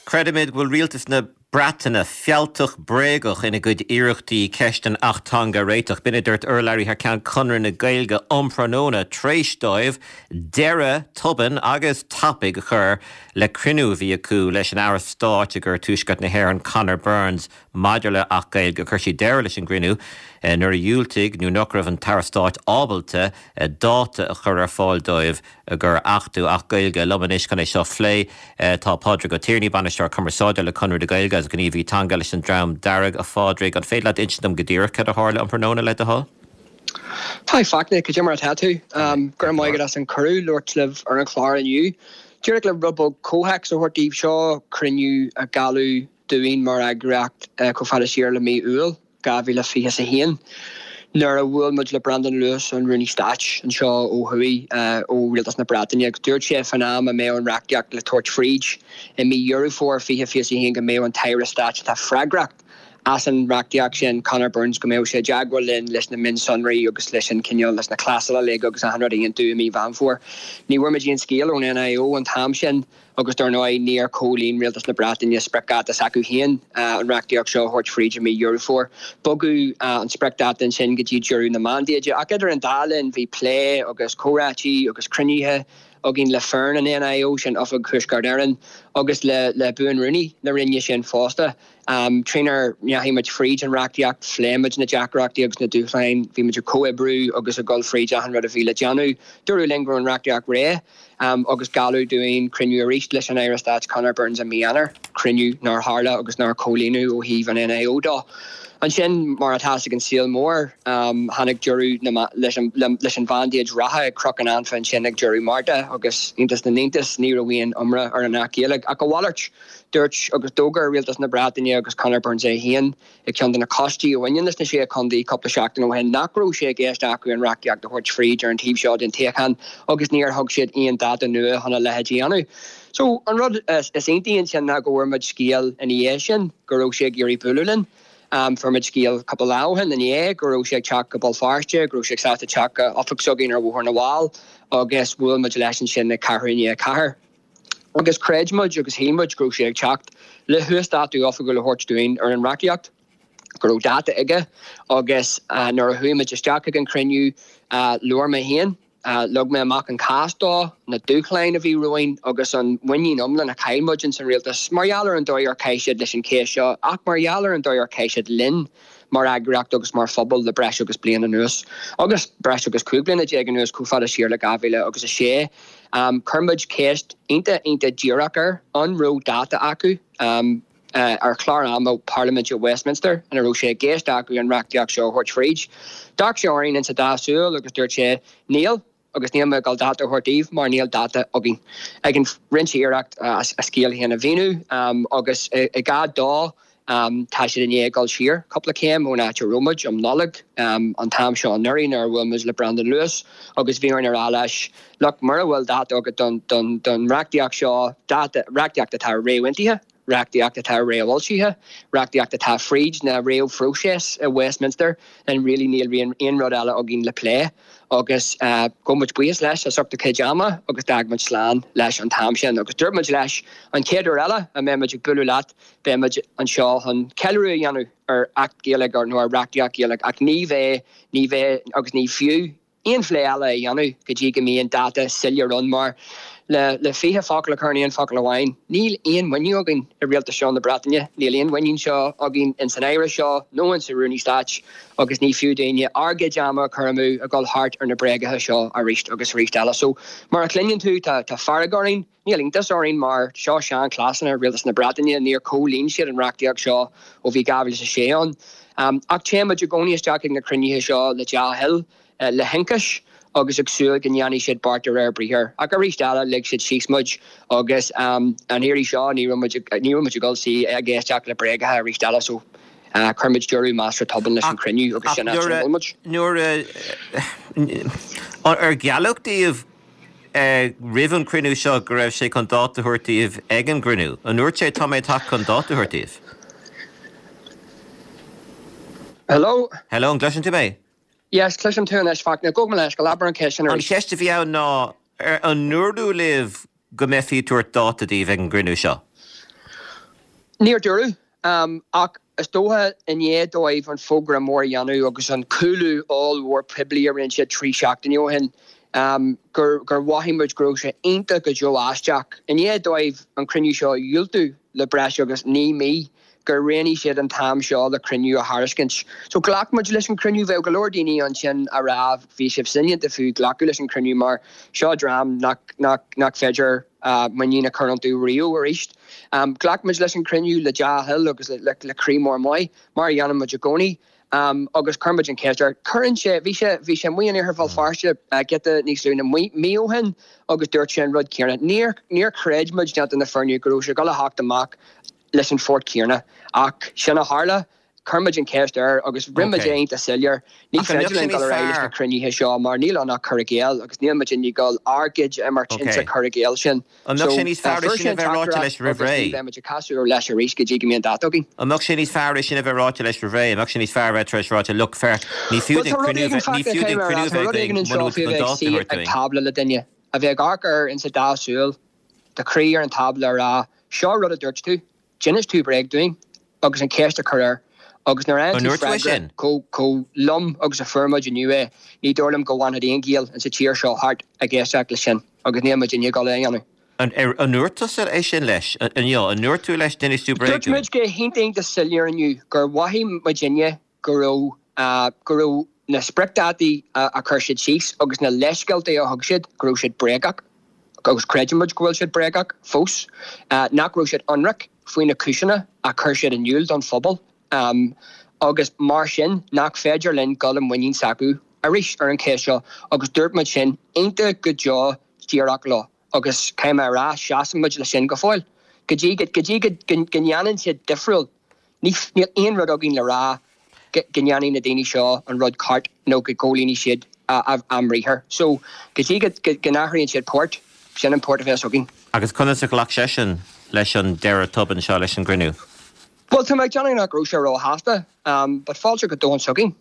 Creidimid go bhfuil rialtas na. Breataine fealltach bréagach ina gcuid iarrachtaí ceist an Acht Teanga a réiteach. B'in a dúirt urlabhraí thar ceann Conradh na Gaeilge um thráthnóna tar éis dóibh deireadh tobann agus tapaidh a chur le cruinniú a bhí acu leis an Aire Stáit i gcúrsaí Tuaisceart na hÉireann Conor Burns maidir le Acht Gaeilge. Chuir siad deireadh leis an gcruinniú nuair a dhiúltaigh nó nach raibh an tAire Stáit ábalta dáta a chur ar fáil dóibh gur achtú Acht Gaeilge. Liom anois chun é seo a phlé tá Pádraig Ó Tiarnaigh, Bainisteoir Cumarsáide le Conradh na Gaeilge agus gníomhaí teanga leis an Dream Dearg. A Phádraig, an féidir leat insint dom go díreach cad a tharla um thráthnóna le do thoil? Hi Fachtna, cad é mar atá tú? Go raibh maith agat as an cuireadh labhairt libh ar an chlár inniu. Díreach le rud beag comhthéacs a thabhairt daoibh, seo cruinniú a gealladh dúinn mar eagraíocht chomh fada siar le mí Iúil dhá mhíle fiche a haon nuair a bhuail muid le Brandon Lewis, an Rúnaí Stáit anseo ó thuaidh ó Rialtas na Breataine agus dúirt sé fán am a mbeadh an reachtaíocht le tabhairt fríd i mí Dheireadh Fómhair fiche fiche a haon go mbeadh an tAire Stáit atá freagrach as an reachtaíocht sin, Conor Burns, go mbeadh sé i dteagmháil linn leis na mionsonraí agus leis an cineál, leis na clásail uilig agus achan rud a aontú i mí Mheán Fómhair. Ní bhfuair muid aon scéal ón NIO an t-am sin agus dar ndóigh níor chomhlíon Rialtas na Breataine spriocdháta s'acu féin an reachtaíocht seo a thabhairt fríd i mí Dheireadh Fómhair. Bogadh an spriocdháta ansin go dtí deireadh na mandáide ach idir an dá linn bhí plé agus comhráití agus cruinnithe againn le foireann an NIO, sin Oifig Thuaisceart Éireann, agus le le Buan-Rúnaí na Roinne sin fosta. Trínar ndeachaigh muid fríd an reachtaíocht, phléigh muid na deacrachtaí agus na dúshláin, bhí muid ag comhoibriú agus ag dul fríd achan rud a bhí le déanamh. Dúradh linn go raibh an reachtaíocht réidh agus gealladh dúinn cruinniú arís leis an Aire Stáit Conor Burns i mí Eanáir, cruinniú nár tharla agus nár comhlíonadh ó thaobh an NIO dó. Ansin, mar atá fhios ag an saol mór, tháinig deireadh leis an mhandéid reatha ag Cnoc an Anfa ansin ag deireadh Márta agus, iontas na n-iontas, ní raibh aon iomrá ar an Acht Gaeilge. Ach a mhalairt, dúirt agus d'fhógair Rialtas na Breataine agus Conor Burns é féin ag ceann de na coistí a bhaineann leis na Sé Chontae cúpla seachtain ó shin nach raibh sé i gceist acu an reachtaíocht a thabhairt fríd ar an taobh seo den toghchán agus níor thug siad aon dáta nua chun a leithéid a dhéanamh. So, an rud is iontaí ansin ná go bhfuair muid scéal ina dhiaidh sin go raibh sé ag iarraidh bualadh linn. Fuair muid scéal cúpla lá ó shin inné go raibh sé ag teacht go Béal Feirste, go raibh sé sásta teacht go oifig s'againn ar Bhóthar na bhFál agus bhuail muid leis ansin ag ceathrú i ndiaidh a ceathair. Agus chreid muid agus shíl muid go raibh sé ag teacht le huasdátú oifigiúil a thabhairt dúinn ar an reachtaíocht, go raibh dáta aige agus nuair a chuaigh muid isteach ag an chruinniú labhair mé féin. Leag mé amach an cás dó, na dúshláin a bhí romhainn agus an mhuinín iomlán a chaill muid ins an rialtas mar gheall ar an dóigh ar chaith siad leis an chéist seo ach mar gheall ar an dóigh ar chaith siad linn mar eagraíocht agus mar phobal le breis agus bliain anuas agus breis agus cúig bliana déag anuas chomh fada siar le dhá mhíle agus a sé. Chuir muid ceist iontach iontach díreach air, an raibh dáta acu? ar chlár ama Parlaiminte Westminster ina raibh sé i gceist acu an reachtaíocht seo a thabhairt fríd. D'amharc sé orainn insa dá súil agus dúirt sé, Níl, agus níl mé ag dul dáta a thabhairt daoibh mar níl dáta againn. Ag an rinne sé iarracht a scéal féin a mhíniú agus i gar dó tá siad i ndiaidh dul siar cúpla céim ón áit a raibh muid um Nollaig an t-am seo anuraidh nuair a bhuail muid le Brandon Lewis agus bhí orainn a rá leis, Look, mura bhfuil dáta agat don reachtaíocht seo, dáta, reachtaíocht atá réamhaontaithe, reachtaíocht atá réamhfhoilsithe, reachtaíocht atá fríd na réamhphróiseas i Westminster, then really níl aon rud eile againn le plé. Agus gabh muid buíochas leis as ucht a chuid ama agus d'fhág muid slán leis an t-am sin. Agus dúirt muid leis, an chéad uair eile a mbeidh muid ag bualadh leat, beidh muid anseo chun ceiliúradh a dhéanamh ar Acht Gaeilge nó ar reachtaíocht Ghaeilge ach ní bheidh, ní bheidh agus ní fiú aon phlé eile a dhéanamh go dtí go mbíonn dáta soiléir ann mar, le le fiche focal a chur in aon focal amháin, níl aon mhuinín againn i rialtas seo na Breataine, níl aon mhuinín seo againn ins an Aire seo nó ins an Rúnaí Stáit agus ní fiú dúinne ár gcuid ama a chur amú ag dul thart ar na bréagacha seo arís agus arís eile. So, mar a chluineann tú, tá tá fearg orainn, níl iontas orainn mar seo seanchleasanna rialtas na Breataine, níor chomhlíon siad an reachtaíocht seo ó bhí dhá mhíle is a sé ann. Ach téann muid i gcónaí isteach ag na cruinnithe seo le dea-thoil, le hionchais agus ag súil go ndéanfaidh siad beart de réir briathair. Ach arís eile, lig siad síos muid agus an iarraidh seo ní raibh muid ní raibh muid ag dul suí ag éisteacht le bréagacha arís eile so chuir muid deireadh measartha tobann leis an chruinniú agus sin áit a bhfuil muid. Nuair a ar gealladh daoibh roimh an chruinniú seo go raibh sé chun dáta a thabhairt daoibh ag an gcruinniú? An ndúirt sé tá mé ag teacht chun dáta a thabhairt daoibh? Hello? Hello, an gcloiseann tú mé? Yes, cloisim tú anois, Fachtna. Gabh mo leithscéal, abair an cheist sin An arís. cheist a bhí ann ná, ar an ndúradh libh go mbeifí ag tabhairt dáta daoibh ag an gcruinniú seo? Níor dúradh. Ach is dócha i ndiaidh dóibh an fógra mór a dhéanamh agus an cúlú ollmhór poiblí a rinne siad trí seachtaine ó shin, gur gur mhothaigh muid go raibh sé iontach go deo aisteach, i ndiaidh dóibh an cruinniú seo a dhiúltú le breis agus naoi mí, gur roghnaigh siad an t-am seo le cruinniú a thairiscint. So ghlac muid leis an cruinniú. Bheadh go leor daoine ansin a rá bhí sibh soineanta fiú glacadh leis an cruinniú mar seo dream nach nach nach féidir muinín a chur iontu riamh arís. Ghlac muid leis an cruinniú le dea-thoil agus le le croí mór maith, mar a dhéanann muid i gcónaí, agus chuir muid an cheist air. Cuireann sé, bhí sé, bhí sé amuigh in iarthar Bhéal Feirste giota níos lú ná mí ó shin agus dúirt sé an rud céanna. Níor, níor chreid muid déanta na fírinne go raibh sé ag dul a theacht amach leis an phort céanna. Ach sin a tharla. Chuir muid an cheist air agus rinne muid é iontach soiléir, ní féidir linn dul ar aghaidh leis na cruinnithe seo mar níl ann ach cur i gcéill agus níl muid i ndiaidh dul ár gcuid a imirt insa chur i gcéill sin. An mbeadh sé níos fearr é sin a bheith ráite leis roimh ré? Agus ní bheidh muid ag casadh leis arís go dtí go mbíonn dáta againn. An mbeadh sé níos fearr é sin a bheith ráite leis roimh ré? An mbeadh sé níos fearr a bheith tar éis ráite, look, féach, ní fiú duinn cruinniú a bheith, ní fiú duinn cruinniú a bheith againn muna bhfuil tú chun dáta a thabhairt dúinn. Ag tábla le duine, a bheith ag amharc air insa dá súil, do chroí ar an tábla a rá, seo rud a dúirt tú, D'inis tú bréag dúinn agus an cheist a chur air agus nuair a fhaigheann tú freagra chomh lom agus a fuair muid inniu é, ní dóigh liom go bhfanfadh aon Ghael insa tír seo thart ag éisteacht leis sin agus níl muid i ndiaidh dul é a dhéanamh. An ndúirt tusa é sin leis inniu? An ndúirt tú leis d'inis tú bréag dúinn? Dúirt muid go hiontach iontach soiléir inniu gur mhothaigh muidinne go raibh go raibh na spriocdhátaí a chuir siad síos agus na leithscéalta a thug siad, go raibh siad bréagach. agus creideann muid go bhfuil siad bréagach fós, nach raibh siad ionraic faoi na cúiseanna a chuir siad in iúl don phobal agus mar sin nach féidir linn dul i muinín s'acu arís ar an cheist seo agus dúirt muid sin iontach go deo díreach leo agus caithfidh mé a rá seasann muid leis sin go fóill. Go dtí go dtí go ndéanann siad difriúil níl aon rud againn le rá go ndéanfaidh na daoine seo an rud ceart nó go gcomhlíonfaidh siad a mbriathar. So, go dtí go n-athraíonn siad port, sin an port a bheas againn. Agus conas a ghlac seisean leis an deireadh tobann seo leis an gcruinniú? Bhuel, tá mé ag déanamh nach raibh sé róshásta, but fáilte go domhan s'againn,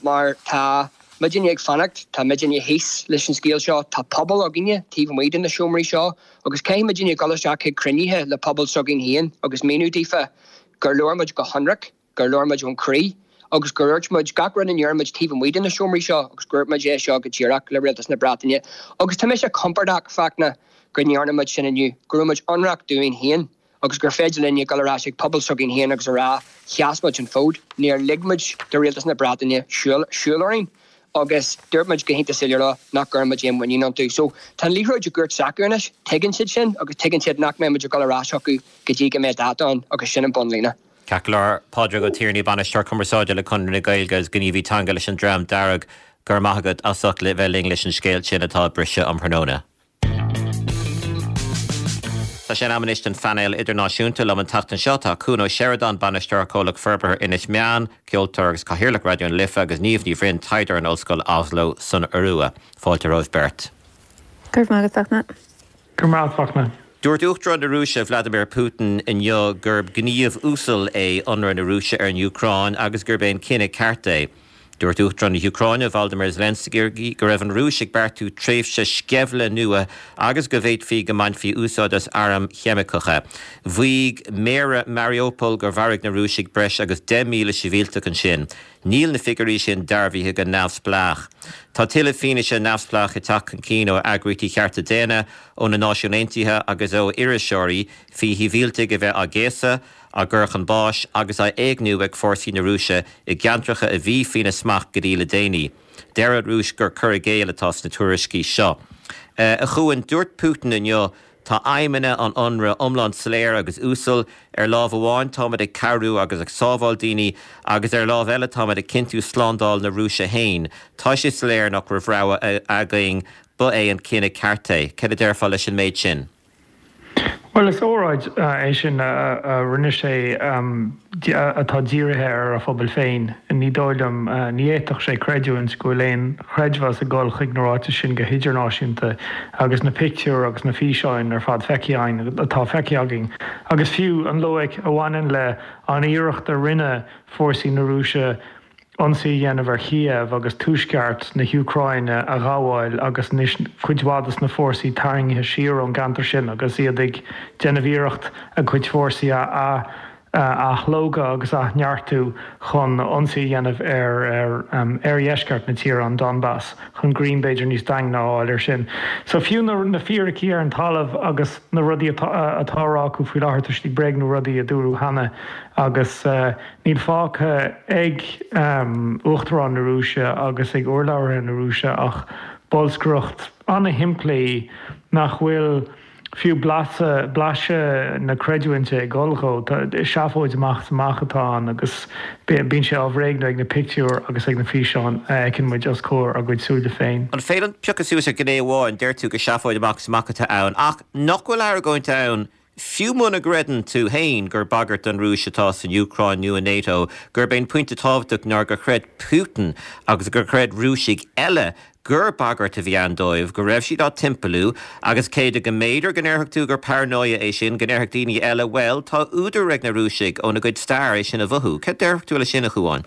mar tá muidinne ag fanacht, tá muidinne thíos leis an scéal seo, tá pobal againne taobh amuigh de na seomraí seo agus caithfidh muidinne dul isteach chuig cruinnithe le pobal s'againn féin agus míniú daofa gur labhair muid go hionraic, gur labhair muid ón chroí agus gur dhúirt muid gach rud a ndeir muid taobh amuigh de na seomraí seo agus gur dhúirt muid é seo go díreach le Rialtas na Breataine. Agus tá mise compordach, Fachtna, go ndearna muid sin inniu, go raibh muid ionraic dúinn féin agus gur féidir linne dul ar ais ag pobal s'againn féin agus a rá, sheas muid an fód, níor lig muid do Rialtas na Breataine siúl orainn agus dúirt muid go hiontach soiléir leo nach gcuireann muid aon mhuinín iontu. So tá an liathróid i gcúirt s'acu anois, tuigeann siad sin agus tuigeann siad nach mbeidh muid ag dul ar ais chucu go dtí go mbeidh dáta ann agus sin an bunlíne. Ceart go leor, Pádraig Ó Tiarnaigh, Bainisteoir Cumarsáide le Conradh na Gaeilge agus gníomhaí teanga leis an Dream Dearg, go raibh maith agat as ucht bheith linn leis an scéal sin atá ag briseadh um thráthnóna. Tá sé in am anois don phainéal idirnáisiúnta. Liom an tseachtain seo tá Cuan Ó Seireadáin, Bainisteoir Comhlacht Forbartha Inis Meáin, ceoltóir agus Cathaoirleach Raidió na Life agus Niamh Ní Bhroin, taighdeoir in Ollscoil Oslo san Iorua. Fáilte romhaibh beirt. Go raibh maith agat, Fachtna. Go raibh maith agat, Fachtna. Dúirt Uachtarán na Rúise Vladimir Putin inniu gurb gníomh uasal é ionradh na Rúise ar an Úcráin agus gurb é an cinneadh ceart é. Dúirt Uachtarán na hÚcráine Volodymyr Zelensky go raibh an Rúis ag beartú tréimhse sceimhle nua agus go bhféadfaí go mbainfí úsáid as airm cheimiceacha. Mhaígh méara Mariupol gur mharaigh na Rúisigh breis agus deich míle sibhialtach ansin. Níl na figiúirí sin dearbhaithe go neamhspleách. Tá tuilleadh fianaise neamhspleách ag teacht chun cinn ó eagraíochtaí chearta daonna, ó na Náisiúin Aontaithe agus ó iriseoirí faoi shibhialtaigh a bheith á gcéasadh, á gcur chun báis agus á éigniú ag fórsaí na Rúise i gceantracha a bhí faoina smacht go dtí le déanaí. Deir an Rúis gur cur i gcéill atá sna tuairiscí seo. A Chuain, dúirt Putin inniu Tá aidhmeanna an ionraidh iomlán soiléir agus uasal. Ar lámh amháin táimid ag cabhrú agus ag sábháil daoine agus ar lámh eile táimid ag cinntiú slándáil na Rúise féin. Tá sé soiléir nach raibh rogha againn, ba é an cinneadh ceart é. Cad a déarfá leis an méid sin? Bhuel, is óráid é sin a rinne sé atá dírithe ar a phobal féin. Ní dóigh liom, ní fhéadfadh sé creidiúint go bhfuil aon chreidmheas ag dul chuig na ráitis sin go hidirnáisiúnta agus na pictiúir agus na físeáin ar fad feicthe againn, atá feicthe againn. Agus fiú an loighic a bhaineann le an iarracht a rinne fórsaí na Rúise ionsaí a dhéanamh ar Chíév agus tuaisceart na hÚcráine a ghabháil agus anois cuid mhaith de na fórsaí tarraingthe siar ón gceantar sin agus iad ag déanamh iarracht a gcuid fórsaí a a shlógadh agus a neartú chun ionsaí a dhéanamh ar ar oirdheisceart na tíre, an Donbas, chun greim b'fhéidir níos daingne a fháil air sin. So fiú na na fíricí ar an talamh agus na rudaí atá atá á rá acu faoi láthair, tá siad ag bréagnú rudaí a dúradh cheana agus níl fágtha ag Uachtarán na Rúise agus ag urlabhraithe na Rúise ach bolscaireacht an-shimplí nach bhfuil fiú blaiseadh, blaiseadh na creidiúinte ag dul dhó. Seafóid amach is amach atá ann agus bíonn sé á bhréagnú ag na pictiúir agus ag na físeáin a fheiceann muid os comhair ár gcuid súile féin. An féidir liom piocadh suas ar ghné amháin? Deir tú gur seafóid amach is amach atá ann, ach nach bhfuil argóint ann, fiú muna gcreideann tú féin gur bagairt don Rúis atá san Úcráin nó i NATO, gurb é an pointe tábhachtach ná gur chreid Putin agus gur chreid Rúisigh eile gur bagairt a bhí ann dóibh, go raibh siad á dtimpeallú, agus cé go mb'fhéidir go ndéarfadh tú gur paranóia é sin, go ndéarfadh daoine eile, bhuel, tá údar ag na Rúisigh óna gcuid stair é sin a mhothú. Cad déarfadh tú leis sin, a Chuáin?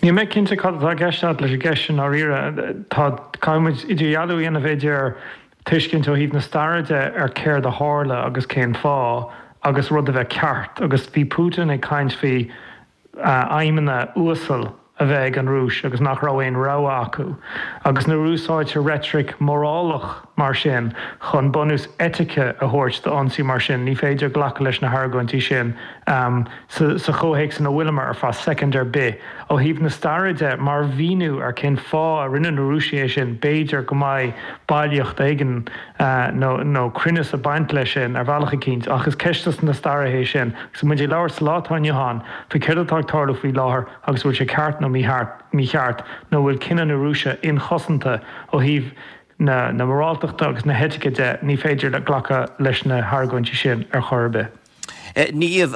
Níl mé cinnte cad atá i gceist agat leis an gceist sin ndáiríre. Tá, caithfidh muid idirdhealú a dhéanamh idir tuiscint ó thaobh na staire de ar céard a tharla agus cén fáth agus rud a bheith ceart. Agus bhí Putin ag caint faoi aidhmeanna uasal a bheith ag an Rúis agus nach raibh aon rogha acu. Agus nuair a úsáidtear reitric mhorálach mar sin chun bunús eitice a thabhairt d'ionsaí mar sin, ní féidir glacadh leis na hargóintí sin sa chomhthéacs ina bhfuileamar ar feadh soicind ar bith. Ó thaobh na staire de, mar mhíniú ar cén fáth a rinne na Rúisigh é sin, b'fhéidir go mbeidh bailíocht éigin nó cruinneas ag baint leis sin ar bhealach eicínt, ach is ceist na staire é sin. Agus muid ag labhairt sa lá atá inniu ann faoi céard atá ag tarlú faoi láthair agus an bhfuil sé ceart nó mícheart nó an bhfuil cinneadh na Rúise inchosanta ó thaobh na moráltachta agus na heitice de, ní féidir glacadh leis na hargóintí sin ar chor ar bith. Niamh,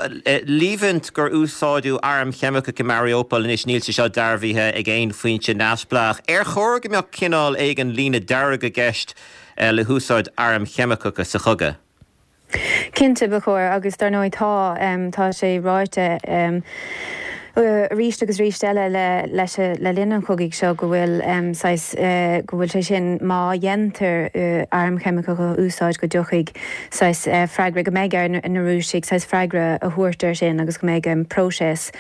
líomhaint gur úsáideadh airm cheimiceacha i Mariupol anois, níl sé seo dearbhaithe ag aon foinse neamhspleách. Ar chóir go mbeadh cineál éigin líne dearg i gceist le húsáid airm cheimiceacha sa chogadh? Cinnte, ba chóir, agus dar ndóigh tá, tá sé ráite arís agus arís eile le leis le linn an chogaidh seo go bhfuil saghas go bhfuil sé sin má dhéantar airm cheimiceacha a úsáid go dtiocfaidh saghas freagra go mbeidh ar na Rúisigh saghas freagra a thabhairt air sin agus go mbeidh próiseas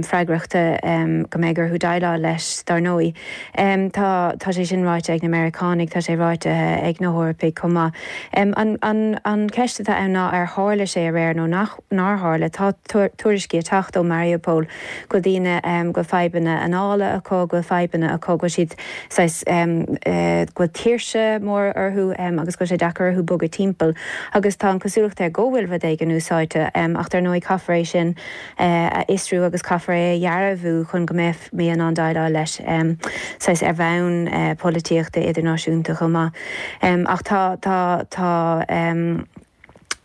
freagrachta go mbeidh orthu déileáil leis dar ndóigh. Tá tá sé sin ráite ag na Meiriceánaigh, tá sé ráite ag na hEorpaigh chomh maith. An an an cheist atá ann ná ar tharla sé aréir nó nach nár tharla. Tá tuairiscí ag teacht ó Mariupol go bhfuil daoine, go bhfuil fadhbanna anála acu, go bhfuil fadhbanna acu, go bhfuil siad saghas, go bhfuil tuirse mór orthu agus go bhfuil sé deacair orthu bogadh timpeall. Agus tá an chosúlacht air go bhfuil rud éigin úsáidte ach dar ndóigh caithfear é sin a fhiosrú agus caithfear é a dhearbhú chun go mbeifí in ann déileáil leis saghas ar bhonn polaitíochta idirnáisiúnta chomh maith. Ach tá, tá, tá.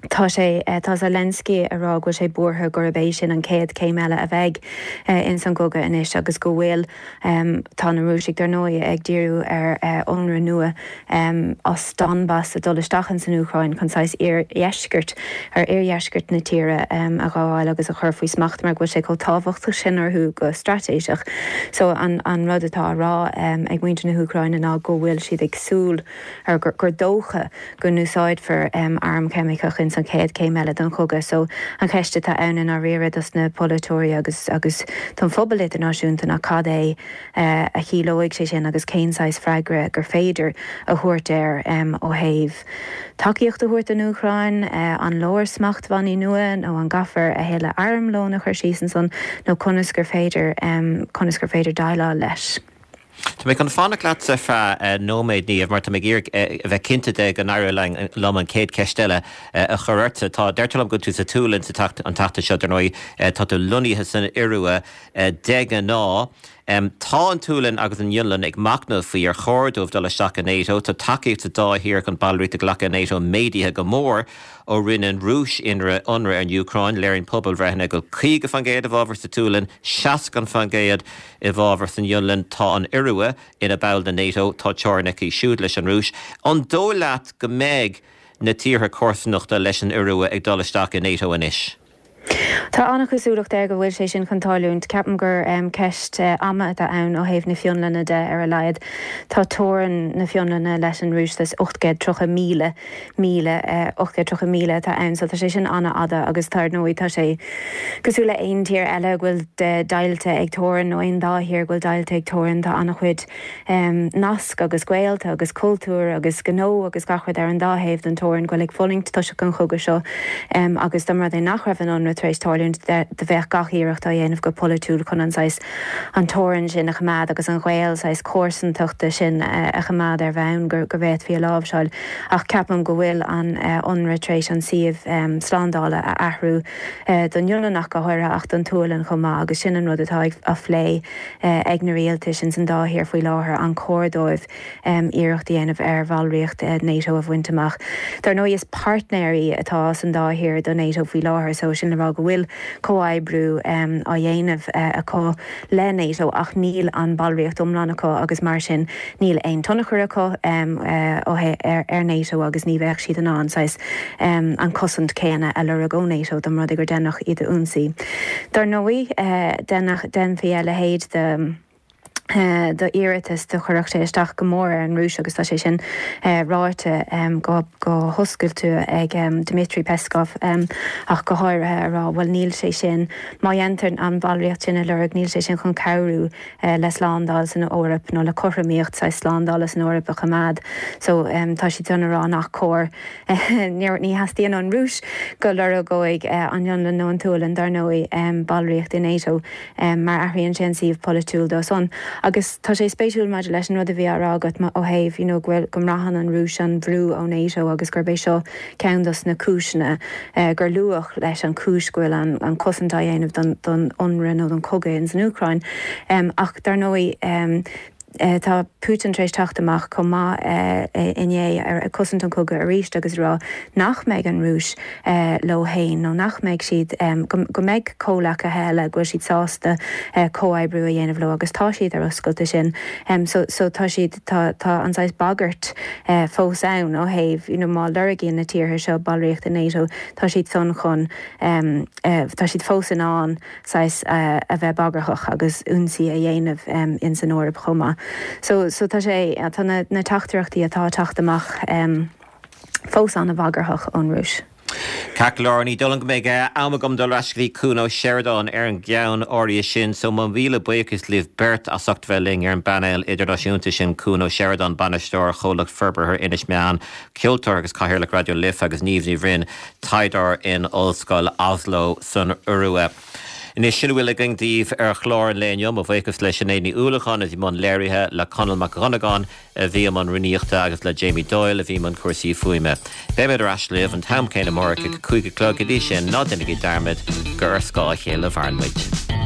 Tá sé, tá Zelensky ag rá go bhfuil sé buartha gurb é sin an chéad chéim eile a bheidh ins an gcogadh anois agus go bhfuil, tá na Rúisigh dar ndóigh ag díriú ar ionradh nua as Donbas ag dul isteach ins an Úcráin chun saghas iardheisceart, ar iardheisceart na tíre a ghabháil agus a chur faoi smacht mar go bhfuil sé chomh tábhachtach sin orthu go straitéiseach. So an an rud atá á rá ag muintir na hÚcráine ná go bhfuil siad ag súil ar gur dócha go n-úsáidfear arm ceimiceach ins an chéad chéim eile den chogadh. So an cheist atá ann i ndáiríre dos na polaiteoirí agus agus don phobal idirnáisiúnta ná cad é a chiallóidh sé sin agus cén saghas freagra gur féidir a thabhairt air ó thaobh tacaíocht a thabhairt don Úcráin, an leor smachtbhannaí nua nó an gcaithfear a thuilleadh armlóin a chur síos ansan nó conas gur féidir conas gur féidir déileáil leis. Tá mé chun fanacht leatsa ar feadh nóiméad, Niamh, mar tá mé ag iarraidh a bheith cinnte de go n-éireoidh liom an chéad cheist eile a chur ortsa. Tá, deirtear liom go bhfuil tú sa tSualainn sa an tseachtain seo, dar ndóigh, tá tú lonnaithe san Iorua de ghnáth. Tá an tSualainn agus an Fhionlainn ag machnamh faoi ar chóir dóibh dul isteach i NATO. Tá tacaíocht sa dá thír chun ballraíocht a ghlacadh i NATO méadaithe go mór ó rinne an Rúis ionradh ar an Úcráin. Léiríonn pobalbhreitheanna go bhfuil caoga faoin gcéad i bhfabhar sa tSualainn, seasca faoin gcéad i bhfabhar san Fhionlainn. Tá an Iorua ina ball de NATO, tá teorainn aici siúd leis an Rúis. An dóigh leat go mbeidh na tíortha comharsanachta leis an Iorua ag dul isteach i NATO anois? Tá an-chosúlacht air go bhfuil sé sin chun tarlúint. Ceapaim gur ceist ama atá ann ó thaobh na Fionlainne de ar a laghad. Tá teorainn na Fionlainne leis an Rúis saghas ocht gcéad tríocha míle míle, ocht gcéad tríocha míle atá ann so tá sé sin an-fhada agus tá ar ndóigh tá sé cosúil le aon tír eile go bhfuil deighilte ag teorainn nó aon dá thír go bhfuil deighilte ag teorainn tá an-chuid nasc agus gaolta agus cultúr agus gnó agus gach rud ar an dá thaobh den teorainn go bhfuil ag fulaingt toisc an chogadh seo agus dá mba rud é nach raibh an ionradh tar éis tarlúint do bheadh gach iarracht á dhéanamh go polaitiúil chun an saghas an teorainn sin a choimeád agus an gaol saghas comharsantachta sin a choimeád ar bhonn go bhféadfaí a láimhseáil ach ceapaim go bhfuil an ionradh tar éis an suíomh slándála a athrú don Fhionlainn ach go háirithe ach don tSualainn chomh maith agus sin an rud atá á phlé ag na rialtais ins an dá thír faoi láthair an cóir dóibh iarracht a dhéanamh ar bhallraíocht NATO a bhaint amach. Dar ndóigh is páirtnéirí atá san dá thír do NATO faoi láthair so sin le rá go bhfuil comhoibriú á dhéanamh acu le NATO ach níl an ballraíocht iomlán acu agus mar sin níl aon tionchar acu ar NATO agus ní bheadh siad in ann saghas an cosaint céanna a lorg ó NATO dá mba rud é gur deineadh iad a ionsaí. Dar ndóigh dhéanfaí a leithéid de d'iarratas do chuirfeadh sé isteach go mór ar an Rúis agus tá sé sin ráite go hoscailte ag Dmitry Peskov ach go háirithe a rá bhuel níl sé sin, má dhéantar an bhallraíocht sin a lorg níl sé sin chun cabhrú le slándáil san Eoraip nó le cothromaíocht saghas slándála san Eoraip a choimeád. So tá siad san a rá nach cóir, ní theastaíonn ón Rúis go lorgóidh an Fhionlainn nó an tSualainn dar ndóigh ballraíocht i NATO mar athraíonn sé an suíomh polaitiúil dó san. Agus tá sé spéisiúil maidir leis an rud a bhí á rá agat ó thaobh you know go bhfuil, go mbraitheann an Rúis an brú ó NATO agus gurb é seo ceann dos na cúiseanna gur luadh leis an chúis go bhfuil an an cosaint á dhéanamh don don ionradh nó don chogadh ins an Úcráin. Ach dar ndóigh tá Putin tar éis teacht amach chomh maith inné ag cosaint an chogadh arís agus rá nach mbeidh an Rúis leo féin nó nach mbeidh siad, go mbeidh comhleacaithe eile go bhfuil siad sásta comhoibriú a dhéanamh leo agus tá siad ar oscailt do sin. So so tá siad, tá tá an saghas bagairt fós ann ó thaobh you know má lorgaíonn na tíortha seo ballraíocht i NATO tá siad san chun, tá siad fós in ann saghas a bheith bagarthach agus ionsaí a dhéanamh ins an Eoraip chomh maith. So so tá sé, tá na na teachtaireachtaí atá ag teacht amach fós an-bhagarthach ón Rúis. Ceart go leor, ní dóigh liom go mbeidh am agam dul ar ais go dtí Cuan Ó Seireadáin ar an gceann áirithe sin, so mo mhíle buíochas libh beirt as ucht bheith linn ar an bpainéal idirnáisiúnta sin, Cuan Ó Seireadáin, Bainisteoir Chomhlacht Forbartha Inis Meáin, ceoltóir agus Cathaoirleach Raidió Life agus Niamh Ní Bhroin, taighdeoir in Ollscoil Oslo san Iorua. Anois, sin a bhfuil againn daoibh ar chlár an lae inniu. Mo bhuíochas le Sinéad Ní Uallacháin a bhí i mbun léirithe, le Conall Mac Dhonnagáin a bhí i mbun rúnaíochta agus le Jamie Doyle a bhí i mbun cúrsaí fuaime. Beimid ar ais libh an t-am céanna amárach ag a cúig a chlog. Go dtí sin, ná déanaigí dearmad gur ar scáth a chéile a mhaireann muid.